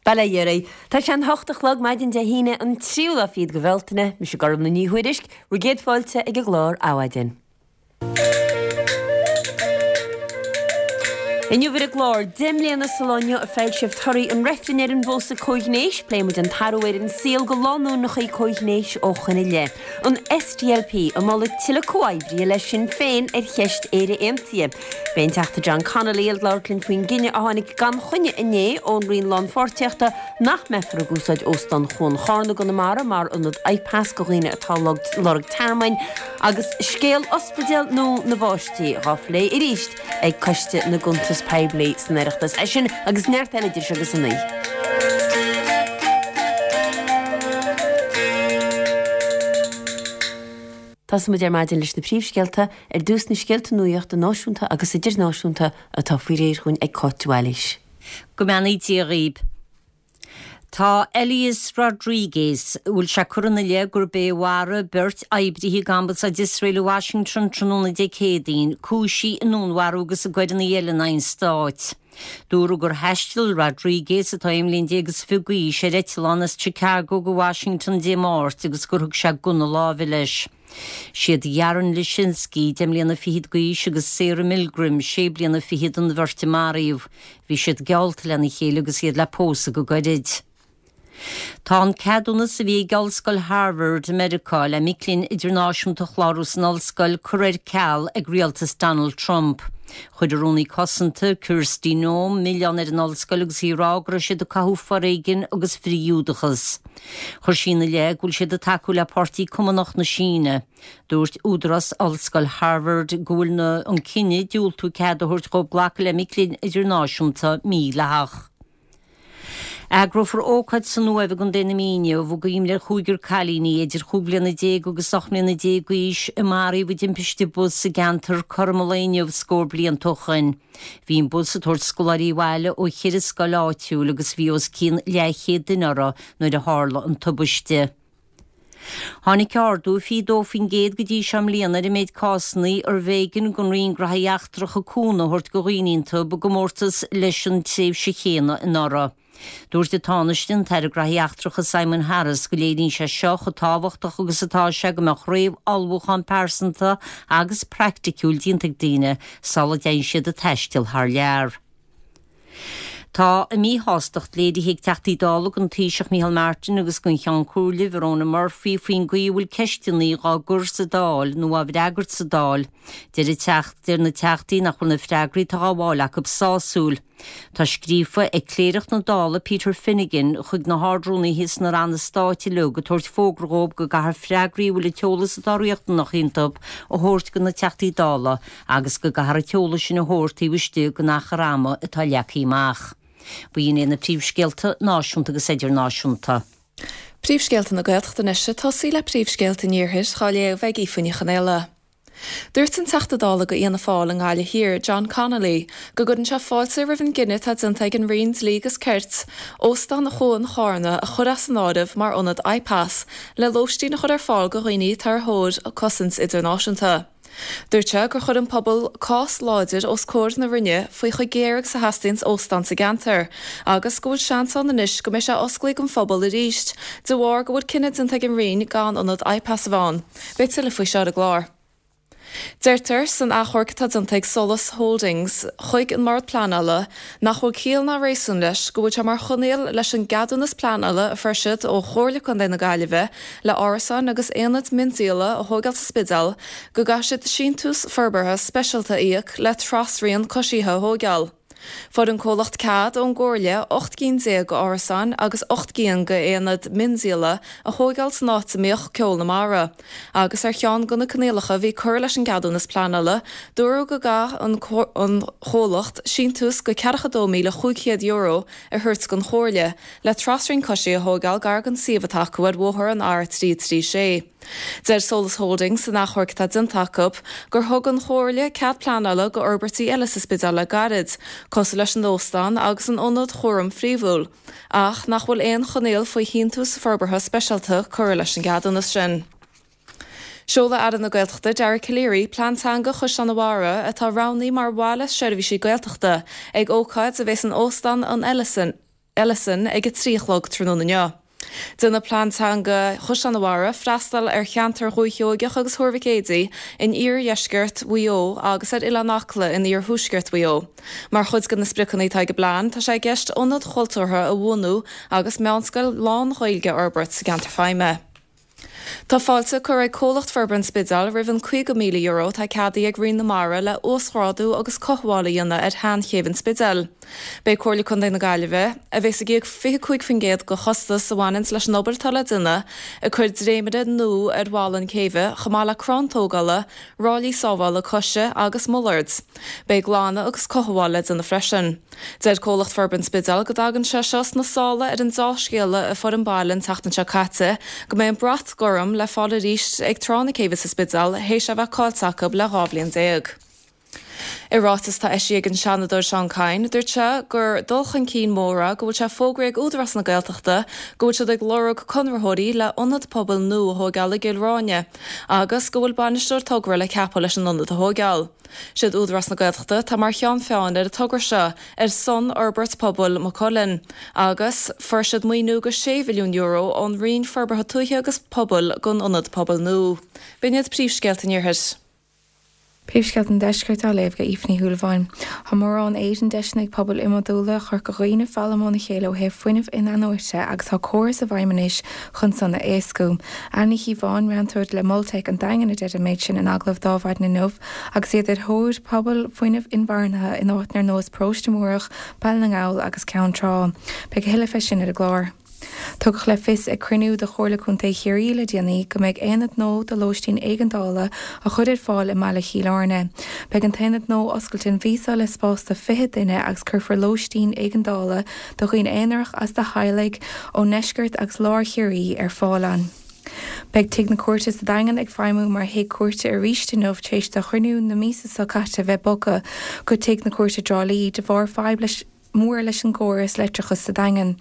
Bail ó Dhia oraibh. Tá sé an hocht a chlog maidin Dé hAoine an tríú lá fichead de Bhealtaine. Mise Gormlaith Ní Thuairisg, bhur gcéad fáilte ag an gclár Adhmhaidin. Inniu ar an gclár, 10 mbliana sa lá inniu a foilsíodh torthaí an reifrinn ar an bpósadh comhghnéis, pléifidh muid an t-athrú ar an saol do lánúineacha comhghnéis ó shoin i leith. An SDLP ag moladh tuilleadh comhoibrithe le Sinn Féin ar cheist Éire Aontaithe. Beidh an Teachta John Connolly ag labhairt linn faoin gcinneadh a tháinig gan choinne inné ón Roinn Lánpháirtíochta nach mbeifear ag úsáid Óstán Chuan Charna i gConamara mar ionad IPAS do dhaoine atá ag lorg tearmainn agus scéal Ospidéal nua na bPáistí dhá phlé arís ag Coiste na gCuntas Poiblí san Oireachtas. É sin agus neart eile idir seo agus a naoi. Tosóidh muid ar maidin leis na príomhscéalta, ar dtús na scéalta nuachta náisiúnta agus idirnáisiúnta atá faoi réir dhúinn ag Cáit de Bhailís. Go mbeannaí Dia dhaoib. Tá Elias Rodriguez, a bhfuil sé curtha ina leith gurb é a mharaigh beirt oibrithe ag Ambasáid Iosrael i Washington tráthnóna Dé Céadaoin, cúisithe i ndúnmharú agus i gcoireanna eile in aghaidh an stáit. Dúradh gur thaistil Rodriguez, atá aon bhliain déag is fiche d'aois, ar eitleán as Chicago go Washington Dé Máirt agus gur thug sé gunna láimhe leis. Siad Yaron Lischinsky, deich mbliana fichead d'aois, agus Sarah Milgrim, sé bliana fichead, an bheirt a maraíodh. Bhí siad geallta lena chéile agus iad le pósadh go gairid. Tá an ceadúnas a bhí ag Ollscoil Harvard i Meiriceá le mic léinn idirnáisiúnta a chlárú san ollscoil curtha ar ceal ag rialtas Donald Trump. Chuir an Rúnaí Cosanta, Kristi Noem, milleán ar an ollscoil agus í ag rá go raibh siad ag cothú foréigin agus frith-Ghiúdachas. Chuir sí ina leith go bhfuil siad ag tacú le Páirtí Cumannach na Síne. Dúirt údarás Ollscoil Harvard go bhfuil na an cinneadh diúltú cead a thabhairt dhóibh glacadh le mic léinn idirnáisiúnta mídhleathach. Eagrófar ócáid san Uaimh i gContae na Mí inniu i gcuimhne ar chúigear cailíní idir chúig bhliana déag agus 18 mbliana d'aois a maraíodh i dtimpiste bus sa gceantar cothrom an lae inniu scór blianta ó shoin. Bhí an bus ag tabhairt scoláirí abhaile ó cheithre scoil áitiúil agus bhí os cionn leathchéad duine orthu nuair a tharla an tubaiste. Tháinig ardú 22% go dtí seo i mbliana ar an méid cásanna arbh éigean don Roinn Gnóthaí Eachtracha cúnamh a thabhairt do dhaoine iontu i gcomórtas leis an tréimhse chéanna anuraidh. Dúirt an Tánaiste, an tAire Gnóthaí Eachtracha Simon Harris go léiríonn sé seo chomh tábhachtach agus atá sé go mbeadh réamh-ullmhúchán pearsanta agus praiticiúil déanta ag daoine sula dtéann siad ag taisteal thar lear. Tá a míshástacht léirithe ag Teachtaí Dála don Taoiseach Micheál Martin agus don Cheann Comhairle Verona Murphy faoin gcaoi a bhfuil ceisteanna dhá gcur sa Dáil nó á bhfreagairt sa Dáil. Deir na Teachtaí nach bhfuil na freagraí atá á bhfáil acu sásúil. Tá scríofa ag Cléireach na Dála Peter Finnegan chuig na hArd-Rúnaithe sna Ranna Stáit uilig ag tabhairt fógra dhóibh go gcaithfear freagraí a bhfuil an t-eolas atá riachtanach iontu a thabhairt do na Teachtaí Dála agus go gcaithfear an t-eolas sin a thabhairt taobh istigh den achar ama atá leagtha amach. B'in iad na príomhscéalta náisiúnta agus idirnáisiúnta. Príomhscéalta na Gaeltachta anois ag tosaí le príomhscéalta an Iarthair, dhá léamh ag Aoife Ní Chonaola. Dúirt an Teachta Dála do Fhianna Fáil i nGaillimh Thiar, John Connolly, go gcuireann sé fáilte roimh an gcinneadh atá déanta ag an Roinn Dlí agus Cirt Óstán Chuan Charna a chur as an áireamh mar ionad IPAS le lóistín a chur ar fáil do dhaoine atá ar thóir cosaint idirnáisiúnta. Dúirt sé gur chuir an pobal cás láidir os comhair na Roinne faoi chomh géar agus a theastaíonns óstán sa gceantar agus go bhfuil seans ann anois go mbeidh sé osclaithe don phobal arís de bharr go bhfuil cinneadh déanta ag an Roinn gan ionad IPAS a bheith ann. Beidh tuilleadh faoi seo ar an gclár. Deirtear san achomharc atá déanta ag Solas Holdings chuig an mBord Pleanála nach bhfuil ciall ná réasún leis go bhfuil sé mar choinníoll leis an gceadúnas pleanála a fuair siad ó Chomhairle Contae na Gaillimhe le árasáin agus aonaid miondíola a thóigeáil sa Spidéal go gcaithfidh siad síntiús forbartha speisialta a íoc le trasrian coisithe a thóigeáil. Fuair an comhlacht cead ón gComhairle 18 gcinn d'árasáin agus 8 gcinn d'aonaid miondíola a thóigeáil san áit a mbíodh Ceol na Mara. Agus ar cheann de na coinníollacha a bhí curtha leis an gceadúnas pleanála, dúradh go gcaithfeadh an comhlacht síntiús de €42,500 a thabhairt don Chomhairle le trasrian coisithe a thóigeáil gar don suíomh atá acu ar bhóthar an R336. Deir Solas Holdings san achomharc atá déanta acu gur thug an Chomhairle cead pleanála do fhorbairtí eile sa Spidéal le gairid, cosúil leis an óstán agus an ionad chúraim phríomhúil, ach nach bhfuil aon choinníoll faoi shíntiús forbartha speisialta curtha leis an gceadúnas sin. Seolfaidh Aire na Gaeltachta Dara Calleary plean teanga Chaisleán an Bharraigh atá roghnaithe mar bhaile seirbhísí Gaeltachta ag ócáid a bheidh in Óstán an Ellison. Ellison ag 3 a chlog tráthnóna inniu. Déanfaidh Plean Teanga Chaisleán an Bharraigh freastal ar cheantar Dhúiche Sheoigeach agus Thuar Mhic Éadaigh in iardheisceart Mhaigh Eo agus ar Oileán Acla in iarthuaisceart Mhaigh Eo. Mar chuid de na spriocanna atá ag an bplean, tá sé i gceist ionad chultúrtha a bhunú agus meánscoil lán-Ghaeilge a fhorbairt sa gceantar feidhme. Tá fáilte curtha ag Comhlacht Forbartha an Spidéil roimh an €50,000 atá ceadaithe ag Roinn na Mara le uasghrádú agus cothabháil a dhéanamh ar sheanchéibh an Spidéil. Beidh Comhairle Contae na Gaillimhe, a bheas ag íoc 25% de chostas a bhaineanns leis an obair atá le déanamh, ag cur dréimire nua ar bhalla an céibhe chomh maith le crann tógála, ráillí sábhála coise agus mullards. Beidh glanadh agus cothabháil le déanamh freisin. Deir Comhlacht Forbartha an Spidéil go dtagann sé seo sna sála ar an deá-scéala a fuair an baile an tseachtain seo caite go mbeidh an brat gorm le fáil arís ag Trá na Céibhe sa Spidéal théis é a bheith caillte acu le 12 bhliain. I ráiteas atá eisithe ag an Seanadóir Seán Kyne, dúirt sé gur dul chun cinn mór é go bhfuil sé fógraithe ag Údarás na Gaeltachta go bhfuil siad ag lorg conraitheoirí le ionad pobail nua a thóigeáil i gCill Ráine agus go bhfuil bainisteoir togra le ceapadh leis an ionad a thóigeáil. Siad Údarás na Gaeltachta atá mar cheann feadhain ar an togra seo ar son fhorbairt pobail Maigh Cuilinn agus fuair siad maoiniú go €6 mhilliún ón Roinn Forbartha Tuaithe agus Pobail don ionad pobail nua. B'in iad príomhscéalta an Iarthair. Príomhscéalta an Deiscirt á léamh ag Aoife Ní Shúilleabháin. Tá mórán éadan deiseanna ag pobail iomadúla Chorca Dhuibhne foghlaim óna chéile ó thaobh fuinneamh in-athnuaite agus tá córas i bhfeidhm anois chun san a éascú. Anne Ní Chíobháin, meantóir le Mol Teic an Daingin a deir an méid sin in agallamh d'Adhmhaidin inniu agus iad ar thóir pobail fuinnimh inmharthanaithe in áiteanna ar nós Paróiste Múrach, Baile na nGall agus Ceann Trá. Beidh a thuilleadh fé sin ar an gclár. Tugadh le fios ag cruinniú de Chomhairle Contae Chiarraí le déanaí go mbeidh aonad nua do lóistín éigeandála á chur ar fáil i mbaile Chill Airne. Beidh an t-aonad nua oscailte an mhí seo le spás do 20 duine agus cuirfear lóistín éigeandála do dhaoine aonarach agus do theaghlaigh ó ndeisceart agus lár Chiarraí ar fáil ann. Beidh Tigh na Cúirte sa Daingean ag feidhmiú mar thigh cúirte arís inniu tar éis do chruinniú na míosa seo caite bheith bogtha go Tigh na Cúirte i dTrá Lí de bharr fadhb leis mór leis an gcóras leictreachais sa Daingean.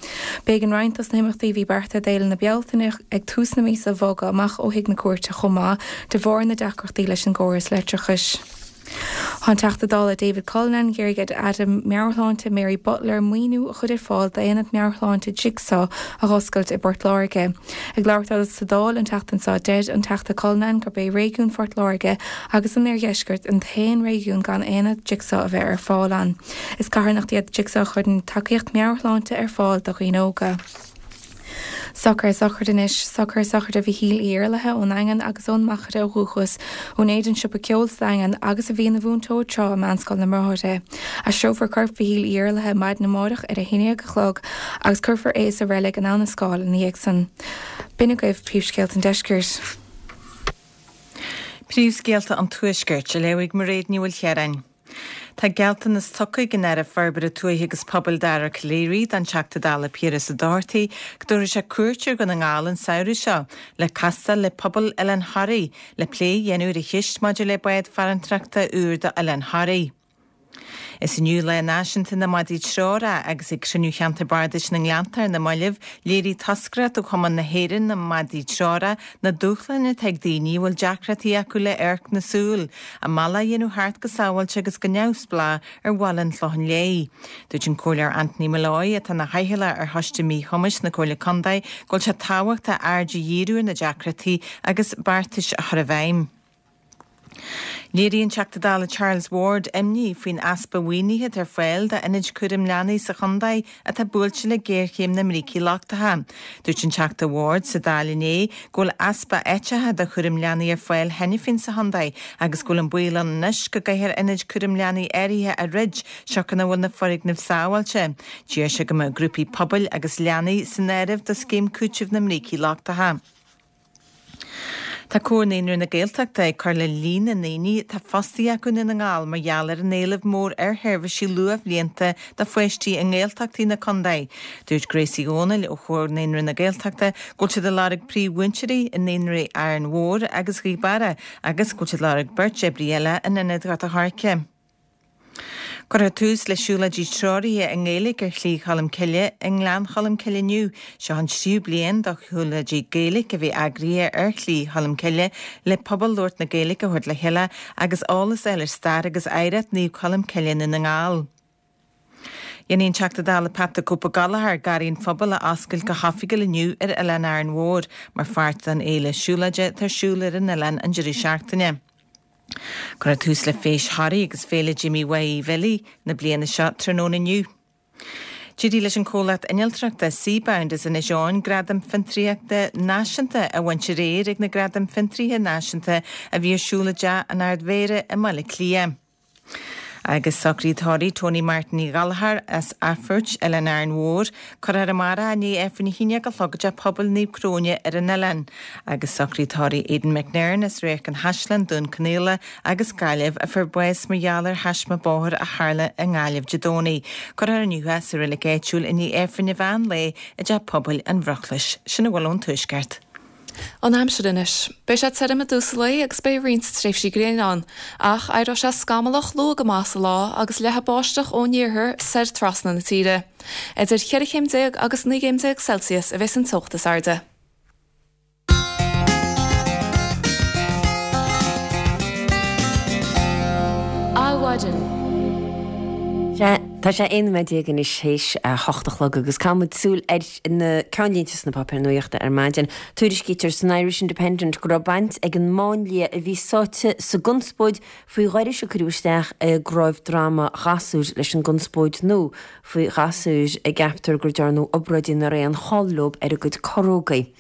B'éigean roinnt dos na himeachtaí a bhí beartaithe d'Fhéile na Bealtaine ag tús na míosa a bhogadh amach ó Thigh na Cúirte chomh maith de bharr na deacrachtaí leis an gcóras leictreachais. Tá an Teachta Dála David Cullinane ag iarraidh ar an Aire Meabhairshláinte Mary Butler maoiniú a chur ar fáil d'aonad meabhairshláinte Jigsaw a dh'oscailt i bPort Láirge. Ag labhairt dó sa Dáil an tseachtain seo deir an Teachta Cullinane gurb é réigiún Phort Láirge agus an Oirdheiscirt an t-aon réigiún gan aonad Jigsaw a bheith ar fáil ann. Is carthanacht iad Jigsaw a chuireann tacaíocht meabhairshláinte ar fáil do dhaoine óga. Socruithe sochraide anois. Socruithe sochraide Mhichíl Uí Iarlaithe ón nDaingean agus ón Machaire ó dhúchas, a úinéir an siopa ceoil sa Daingean agus a bhí ina mhúinteoir tráth i Meánscoil na mBráithre. Aistreofar corp Mhichíl Uí Iarlaithe maidin amáireach ar a haon déag a chlog agus cuirfear é sa reilig in Abha na Scáil ina dhiaidh san. B'in agaibh príomhscéalta an deiscirt. Príomhscéalta an Tuaiscirt, á léamh ag Mairéad Ní Mhaoilchiaráin. Tá gealltanas tugtha ag an Aire Forbartha Tuaithe agus Pobail Dara Calleary don Teachta Dála Piaras Ó Dochartaigh go dtabharfaidh sé cuairt ar Dhún na nGall an samhradh seo le castáil le pobal Oileán Thoraí le plé a dhéanamh ar an cheist maidir le bád farantóireachta úr do Oileán Thoraí. Is inniu Lá Náisiúnta na Madraí Treorach agus ag cruinniú Cheantar Bardais na nGleannta ar na mallaibh, léirigh toscaireacht ó Chumann na hÉireann na Madraí Treorach na dúshláin atá ag daoine a bhfuil deacrachtaí acu le amharc na súl, a mbealach a dhéanamh thart go sábháilte agus go neamhspleách ar bhaile an Chlocháin Léith. Dúirt an Comhairleoir Anthony Molloy, atá ina chathaoirleach ar Choiste Míchumais na Comhairle Contae, go bhfuil sé tábhachtach aird a dhíriú ar na deacrachtaí agus beartais a chur i bhfeidhm. Léirigh an Teachta Dála Charles Ward imní faoin easpa mhaoinithe atá ar fáil d'ionaid cúraim leanaí sa chontae atá buailte le géarchéim na mbrící lochtacha. Dúirt an Teachta Ward sa Dáil inné go bhfuil easpa áiteacha do chúram leanaí ar fáil cheana féin sa chontae agus go bhfuil an baol ann anois go gcaithfear ionaid cúraim leanaí áirithe a dhruid siocair nach bhfuil na foirgnimh sábháilte. D'iarr sé go mbeadh grúpaí pobail agus leanaí san áireamh do scéim cúitimh na mbrící lochtacha. Tá Comhar Naíonraí na Gaeltachta ag cur le líon na ndaoine atá fostaithe acu i nDún na nGall mar gheall ar an éileamh mór ar sheirbhísí luathbhlianta do pháistí i nGaeltachtaí na contae. Dúirt Grace Uí Dhomhnaill ó Chomhar Naíonraí na Gaeltachta go bhfuil siad ag lorg príomh-mhúinteoirí i naíonraí Árainn Mhór agus Ghaoth Beara agus go bhfuil siad ag lorg beirt oibrí eile in ionad Ghort a' Choirce. Cuirfear tús le siúlóidí treoraithe i nGaeilge ar Shlí Cholm Cille i nGleann Cholm Cille inniu. Seo an tríú bliain do shiúlóidí Gaeilge a bheith eagraithe ar Shlí Cholm Cille le pobal labhairt na Gaeilge a thabhairt le chéile agus eolas a fháil ar stair agus oidhreacht Naomh Colm Cille i nDún na nGall. Dhéanfaidh an Teachta Dála Pat the Cope Gallagher Garraí an Phobail a oscailt go hoifigiúil inniu ar Oileán Árainn Mhór mar pháirt den fhéile siúlóide atá ar siúl ar an oileán an deireadh seachtaine. Cuirfear tús le Feis Thoraí agus Féile Jimí Mhaidhc Bhilí na bliana seo tráthnóna inniu. D'éirigh leis an comhlacht innealtóireachta Seabound as Inis Eoghain Gradam Fiontraíochta Náisiúnta a bhaint aréir ag na Gradaim Fiontraithe Náisiúnta a bhí ar siúl i dTeach an Ard-Mhéara i mBaile Átha Cliath. Agus socraid tórraimh Tony Martin Uí Ghallchóir as Athphoirt, Oileán Árainn Mhór, cuirfear amárach i ndiaidh Aifreann a 11 a chlog i dTeach Pobail Naomh Cróine ar an oileán. Agus socraid tórraimh Aidan McNairn as Radharc an Chaisleáin, Dún Conaola agus Gaillimh, a fuair bás mar gheall ar thaisme bóthair a tharla i nGaillimh Dé Domhnaigh. Cuirfear inniu é sa reilig áitiúil i ndiaidh Aifreann an mheán lae i dTeach Pobail an Bhruclais. Sin a bhfuil ón Tuaisceart. An aimsir anois. Beidh sé tirim i dtús an lae agus beidh roinnt tréimhsí gréine ann, ach éireoidh sé scamallach luath go maith sa lá agus leathfaidh báisteach ón iarthar soir trasna na tíre. Idir 14 chéim agus 19 gcéim Celsius a bheas an teocht is airde. Adhmhaidin. Tá sé 11 nóiméad anois théis a hocht a chlog agus caithfidh muid súil ar na ceannlínte sna páipéir nuachta ar maidin. Tuairiscítear san Irish Independent go raibh baint ag an máinlia a bhí sáite sa gconspóid faoi ghairis a cuireadh isteach i gcnáimh droma gasúir leis an gconspóid nua faoi ghasúir a gceaptar gur dearnadh obráidí nach raibh aon chall leo ar a gcuid corrógaí.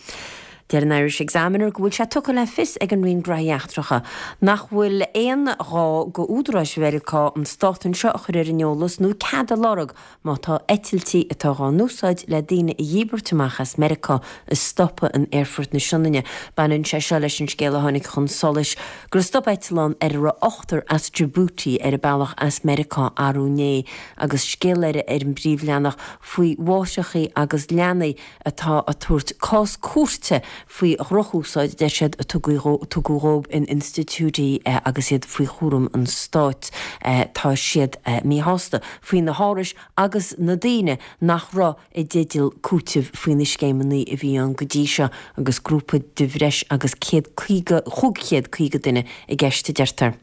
Deir an Irish Examiner go bhfuil sé tugtha le fios ag an Roinn Graithí Eachtracha nach bhfuil aon ghá go údaráis Mheiriceá an stát anseo a chur ar an eolas nó cead a lorg má tá eitiltí atá dhá n-úsáid le daoine a dhíbirt amach as Meiriceá a stopadh in Aerfort na Sionainne. Baineann sé seo leis an scéal a tháinig chun solais gur stop eitleán ar a raibh ochtar as Djibouti ar a bealach as Meiriceá arú inné agus scéal eile ar an bpríomhleathanach faoi mháithreachaí agus leanaí atá ag tabhairt cás cúirte faoi dhrochúsáid, a deir siad, a tugadh dhóibh in institiúidí agus iad faoi chúram an stáit. Tá siad míshásta faoi na hárais agus na daoine nach raibh i dteideal cúitimh faoi na scéimeanna a bhí ann go dtí seo agus grúpa de bhreis agus 150, 550 duine i gceist, a deirtear.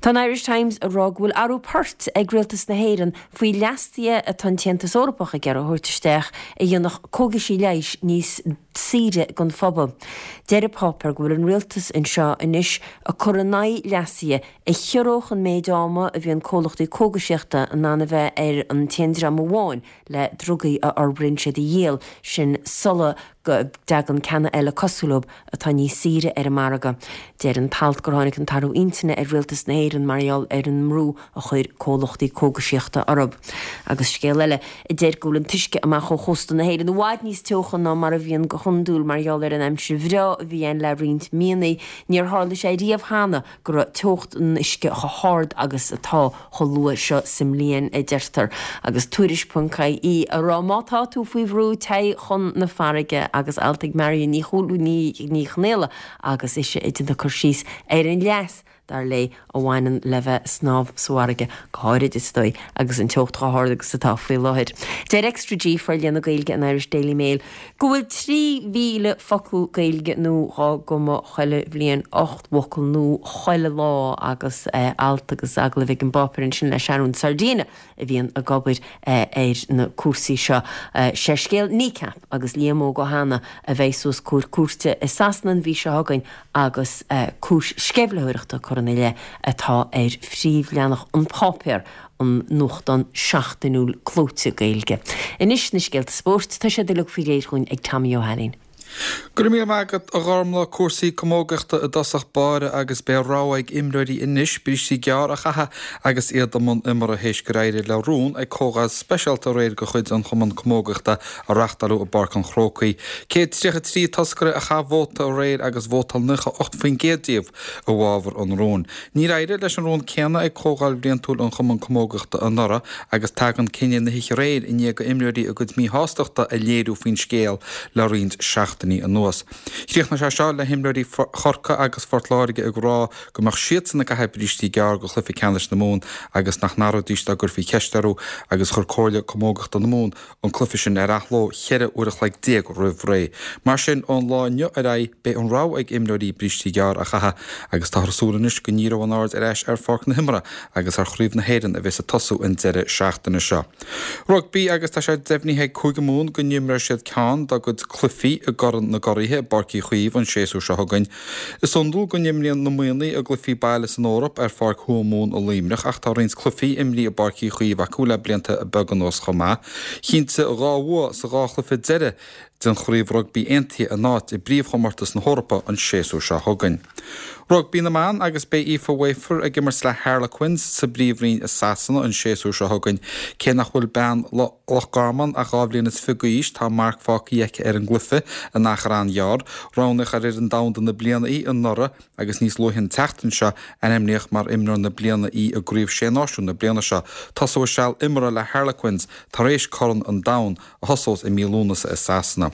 Tá an Irish Times ag rá go bhfuil athrú poirt ag Rialtas na hÉireann faoi leasuithe atá an tAontas Eorpach ag iarraidh a thabhairt isteach a dhéanfadh cógaisí leighis níos saoire don phobal. Deir an páipéar go bhfuil an Rialtas anseo anois ag cur in aghaidh leasuithe a chiorródh an méid ama a bhíonn comhlachtaí cógaisíochta in ann a bheith ar an t-aon dream amháin le drugaí a fhorbraíonn siad a dhíol, sin sula dtagann ceanna eile cosúil leo atá níos saoire ar an margadh. Deir an t-alt gur tháinig an t-athrú intinne ar Rialtas na hÉireann mar gheall ar an mbrú a chuir comhlachtaí cógaisíochta orthu. Agus scéal eile a deir go bhfuil an t-uisce amach ó chósta na hÉireann i bhfad níos teocha ná mar a bhíonn go hiondúil mar gheall ar an aimsir bhreá a bhí ann le roinnt míonna. Níor tharla sé riamh cheana go raibh teocht an uisce chomh hard agus atá chomh luath seo sa mbliain, a deirtear. Agus Tuairisc ponc ie ag rá má tá tú faoi bhrú, téigh chun na farraige agus alt ag Marion Ní Ní Chonaola agus ise ag déanamh cur síos ar an leas, dar léi, a bhaineann le bheith ag snámh sa bhfarraige, go háirid, is dóigh, agus an teocht chomh hard agus atá faoi láthair. Deir Extra G, forlíonadh Gaeilge an Irish Daily Mail, go bhfuil 3,000 focal Gaeilge nua dhá gcumadh chuile bhliain, 8 bhfocal nua chuile lá agus alt agus agallamh ag an bpáipéar ansin le Sharon Sardina a bhíonn ag obair ar na cúrsaí seo. Sé scéal Kneecap agus Liam Óg Ó hAnnaidh a bheidh suas comhair cúirte i Sasana an mhí seo chugainn agus cúis sceimhlitheoireachta curtha ina leith atá ar phríomhleathanach an pháipéar an nuachtán seachtainiúil clóite Gaeilge. Anois na scéalta spóirt, tá siad uilig faoi réir dhúinn ag Tommy Ó hAilín. Go raibh míle maith agat, a Ghormlaith. Cúrsaí camógaíochta i dtosach báire agus beidh rogha ag imreoirí anois brístí gearra a chaitheamh agus iad i mbun imeartha théis gur éirigh le rún ag comhdháil speisialta aréir de chuid an Chumann Camógaíochta a reachtáileadh i bPáirc an Chrócaigh. 133 toscaire a chaith vóta aréir agus vótáil 98% díobh i bhfabhar an rúin. Níor éirigh leis an rún céanna ag Comhdháil Bhliantúil an Chumann Camógaíochta anuraidh agus tagann cinneadh na hoíche aréir i ndiaidh do imreoirí a gcuid míshástachta a léiriú faoin scéal le roinnt seachtainí. seachtainí anuas. Chríochnaigh sé seo le himreoirí Chorcaí agus Phort Láirge ag rá go mbeadh siadsan ag caitheamh brístí gearr go chluiche ceannais na Mumhan agus nach n-athróidís dá gcuirfí ceist orthu agus chuir Comhairle Camógaíochta na Mumhan an cluiche sin ar athló 14 uair a chloig roimh ré. Mar sin, ón lá inniu ar aghaidh, beidh an rogha ag imreoirí brístí gearr a chaitheamh agus táthar ag súil anois go ndíreoidh an aird ar ais ar pháirc na himeartha agus ar Chraobh na hÉireann a bheas ag tosú an deireadh seachtaine seo. Rugbaí agus tá sé deimhnithe ag Cúige Mumhan go n-imreoidh siad ceann dá gcuid cluichí i gCorn na gCuraithe i bPáirc Uí Chaoimh an séasúr seo chugainn. Is iondúil go n-imríonn na Muimhnigh a gcluichí baile san Eoraip ar Pháirc Thuamhumhan i Luimneach ach tá roinnt cluichí imrithe i bPáirc Uí Chaoimh acu le blianta beaga anuas chomh maith. Chinntigh 2 bhua sa dhá chluiche deiridh den Chraobh Rugbaí Aontaithe a n-áit i bpríomhchomórtas na hEorpa an séasúr seo chugainn. Rugbaí na mBan agus beidh Aoife Wafer ag imirt le Harlequins sa bPríomhroinn i Sasana an séasúr seo chugainn. Cé nach bhfuil bean Loch Garman ach 22 bhliain d'aois, tá marc fágtha aici ar an gcluiche in achar an-ghearr. Roghnaíodh ar fhoireann domhanda na bliana í anuraidh agus níos luaithe an tseachtain seo ainmníodh mar imreoir na bliana í i gCraobh Sé Náisiún na bliana seo. Tosóidh a seal imeartha le Harlequins tar éis Corn an Domhain a thosós i mí Lúnasa i Sasana.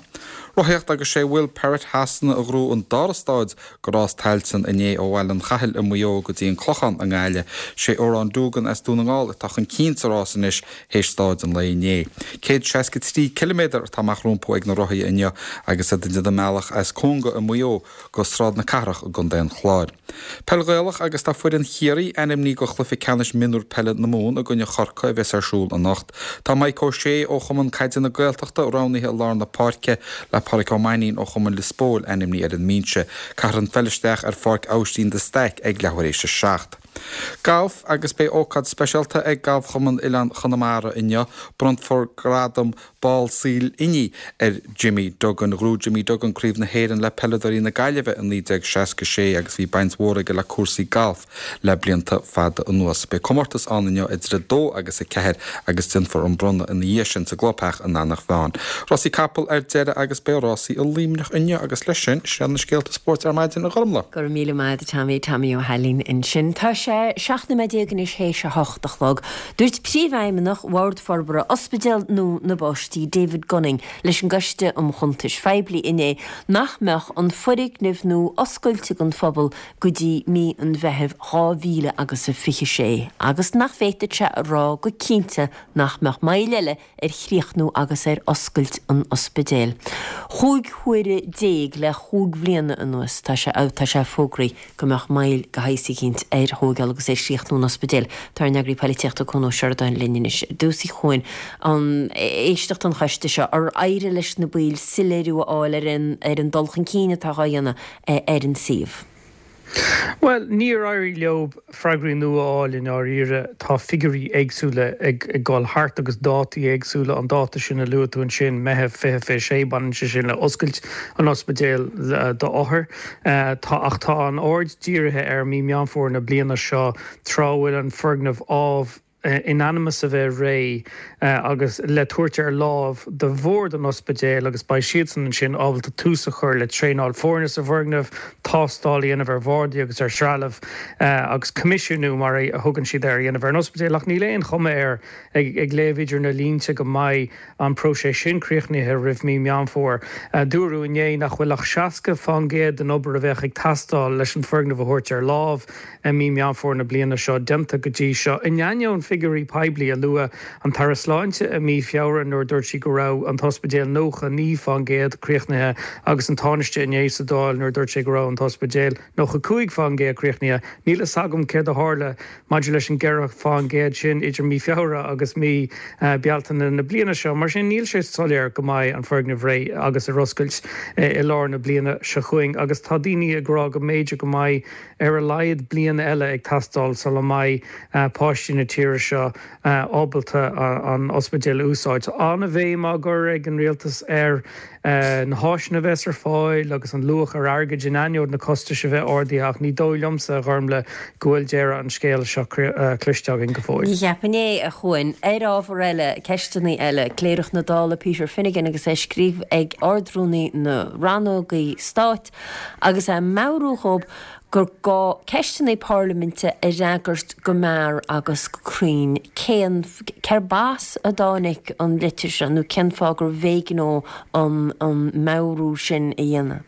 Rothaíocht agus sé Will Perrott Shasana a ghnóthaigh an dara stáid de rás Tailteann inné ó Bhaile an Chathail i Maigh Eo go dtí an Clochán i nGaillimh. Sé Odhrán Doogan as Dún na nGall atá chun cinn sa rás anois théis stáid an lae inné. 163 ciliméadar atá amach rompu ag na rothaithe inniu agus iad ag déanamh a mbealach as Conga i Maigh Eo go Sráid na Cathrach i gContae an Chláir. Peil Ghaelach agus tá foireann Chiarraí ainmnithe go chluiche ceannais mionúr peile na Mumhan i gcoinne Chorcaí a bheas ar siúl anocht. Tá Mike O'Shea ó Chumann Caide na Gaeltachta roghnaithe i lár na páirce le Pádraic Ó Mainnín ó Chumann Lios Póil ainmnithe ar an mbinse. Caithfear an pheil isteach ar Pháirc Aibhistín de Staic ag leathuair éis a 7. Galf agus beidh ócáid speisialta ag Galfchumann Oileán Chonamara inniu. Bronnfar gradam Ball Saoil Inní ar Jimmy Duggan. Ghnóthaigh Jimmy Duggan Craobh na hÉireann le peileadóirí na Gaillimhe i 1966 agus bhí baint mhór aige le cúrsaí gailf le blianta fada anuas. Beidh comórtas ann inniu idir 2 agus 4 agus déanfar an bronnadh ina dhiaidh sin sa gclubtheach in Eanach Mheáin. Rásaí capall ar deireadh agus beidh rásaí i Luimneach inniu agus leis sin, sin iad na scéalta spóirt ar maidin, a Ghormlaith. Go raibh míle maith agat a Tommy, Tommy Ó hAilín ansin. Tá sé 17 nóiméad anois théis a hocht a chlog. Dúirt Príomhfheidhmeannach Bhord Forbartha Ospidéal Nua na bPáistí, David Gunning, leis an gCoiste um Chuntais Phoiblí inné nach mbeadh an foirgneamh nua oscailte don phobal go dtí mí an Mheithimh 2000 agus a 26 agus nach bhféadfadh sé a rá go cinnte nach mbeadh moill eile ar chríochnú agus ar oscailt an ospidéil. Chúig huaire déag le chúig bhliana anuas tá sé tá sé fógraithe go mbeadh moill de shaghas eicínt ar thóigeáil agus ar chríochnú an ospidéil. Tá ár n-eagraí poilitíochta Cuan Ó Seireadáin linn anois. Ar dtús a Chuain, an éisteacht an choiste seo, ar éirigh leis na baill soiléiriú a fháil ar an ar an dul chun cinn atá dhá dhéanamh ar an suíomh? Bhuel, níor éirigh leo freagraí nua a fháil i ndáiríre. Tá figiúirí éagsúla ag dul thart agus dátaí éagsúla. An dáta sin a luaigh tú ansin, Meitheamh 2026, baineann sé sin le oscailt an ospidéil d'othair. Tá, ach tá an aird dírithe ar mí Meán Fómhair na bliana seo, tráth a bhfuil an foirgneamh ámh, in ainm is a bheith réidh agus le tabhairt ar láimh do bhord an ospidéil agus beidh siadsan ansin ábalta tús a chur le traenáil foirne sa bhfoirgneamh, tástáil a dhéanamh ar bhardaí agus ar threalamh agus coimisiúnú, mar a thugann siad air, a dhéanamh ar an ospidéal. Ach níl aon chuma air, ag léamh idir na línte, go mbeidh an próiseas sin críochnaithe roimh mí Meán Fómhair. Dúradh inné nach bhfuil ach 60% den obair a bheadh ag teastáil leis an foirgneamh a thabhairt ar láimh i mí Meán Fómhair na bliana seo déanta go dtí seo. In ainneoin figiúirí poiblí a luaigh an tAire Sláinte i mí Feabhra nuair a dúirt sí go raibh an t-ospidéal 99% críochnaithe agus an Tánaiste inné sa Dáil nuair a dúirt sé go raibh an t-ospidéal 95% críochnaithe, níl fhios agam céard a tharla maidir leis an 4% sin idir mí Feabhra agus mí Bealtaine na bliana seo. Mar sin, níl sé soiléir go mbeidh an foirgneamh réidh agus ar oscailt i lár na bliana seo chugainn agus tá daoine ag rá go mb'fhéidir go mbeidh ar a laghad bliain eile ag teastáil sula mbeidh páistí na tíre seo ábalta an ospidéal a úsáid. An-bhéim á gcur ag an rialtas ar na háiseanna a bheas ar fáil agus an luach ar airgead in ainneoin na costais a bheith ardaithe ach ní dóigh liomsa, a Ghormlaith, go bhfuil deireadh an scéil seo cloiste againn go fóill. Ní cheapfainn é, a Chuain. Ar ábhar eile, ceisteanna eile, Cléireach na Dála Peter Finnegan agus é ag scríobh ag Ard-Rúnaí na Rannógaí Stáit agus é ag meabhrú dhób. gur gá ceisteanna parlaiminte a fhreagairt go mear agus go cruinn. Cén, cérb as a dtáinig an litir seo nó cén fáth gurbh éigean dó an an meabhrú sin a dhéanamh?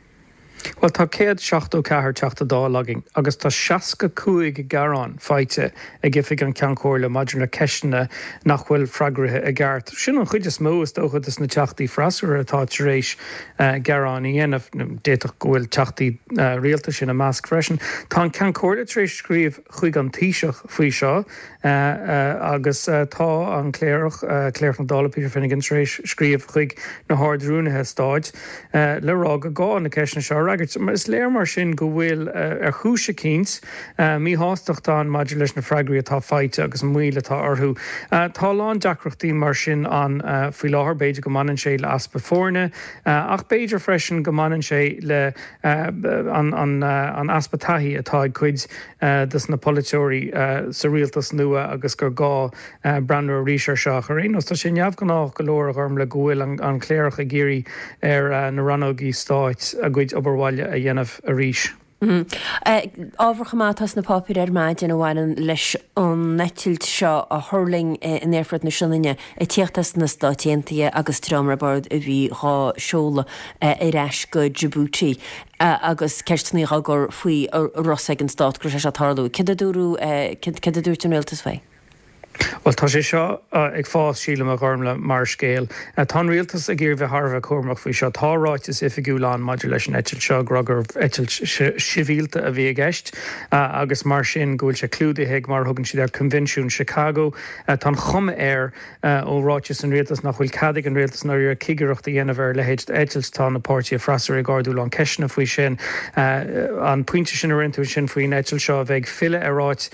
Bhuel, tá 174 Teachta Dála againn agus tá 65 gearán faighte ag Oifig an Cheann Comhairle maidir le ceisteanna nach bhfuil freagraithe i gceart. Sin an chuid is mó, is dócha, des na Teachtaí freasúra atá tar éis gearáin a dhéanamh. D'fhéadfadh go bhfuil Teachtaí Rialtais ina measc freisin. Tá an Ceann Comhairle tar éis scríobh chuig an Taoiseach faoi seo agus tá an Cléireach, Cléireach na Dála, Peter Finnegan, tar éis scríobh chuig na hArd-Rúnaithe Stáit le rá gur gá na ceisteanna seo a fhreagairt. Is léir mar sin go bhfuil, ar chúis eicínt, míshástacht ann maidir leis na freagraí atá faighte agus an mhoill atá orthu. Tá a lán deacrachtaí mar sin ann faoi láthair. B'fhéidir go mbaineann sé le easpa foirne ach b'fhéidir freisin go mbaineann sé le an easpa taithí atá ag cuid des na polaiteoirí sa rialtas nua agus gur gá breathnú arís air seo. Ach ar aon nós, tá sé neamhghnách go leor, a Ghormlaith, go bhfuil an Cléireach ag iarraidh ar na rannógaí stáit a gcuid obair bhaile a dhéanamh arís. Ábhar chomh maith atá sna páipéir ar maidin a bhaineann leis an eitilt seo a thuirling in Aerfort na Sionainne ag tíocht as na Stáit Aontaithe agus dream ar bord a bhí dhá seoladh ar ais go Djibouti agus ceisteanna á gcur faoi an raibh a fhios ag an Stát go raibh sé seo ag tarlú. Céard a dúradh, céard a dúirt an Rialtas faoi? Bhuel, tá sé seo ag fás, sílim, a Ghormlaith, mar scéal. Tá an rialtas ag iarraidh bheith thar a bheith cúramach faoi seo. Tá ráiteas oifigiúil ann maidir leis an eitilt seo, ag rá gurbh eitilt shibhialta a bhí i gceist agus mar sin go bhfuil sé clúdaithe ag, mar a thugann siad air, Coinbhinsiún Chicago. Tá an chuma air ó ráiteas an rialtais nach bhfuil cead ag an rialtas i ndáiríre cigireacht a dhéanamh ar a leithéid d'eitilt. Tá na páirtithe freasúra ag ardú a lán ceisteanna faoi sin. An pointe sin a rinne tú ansin faoin eitilt seo a bheith ag filleadh ar áit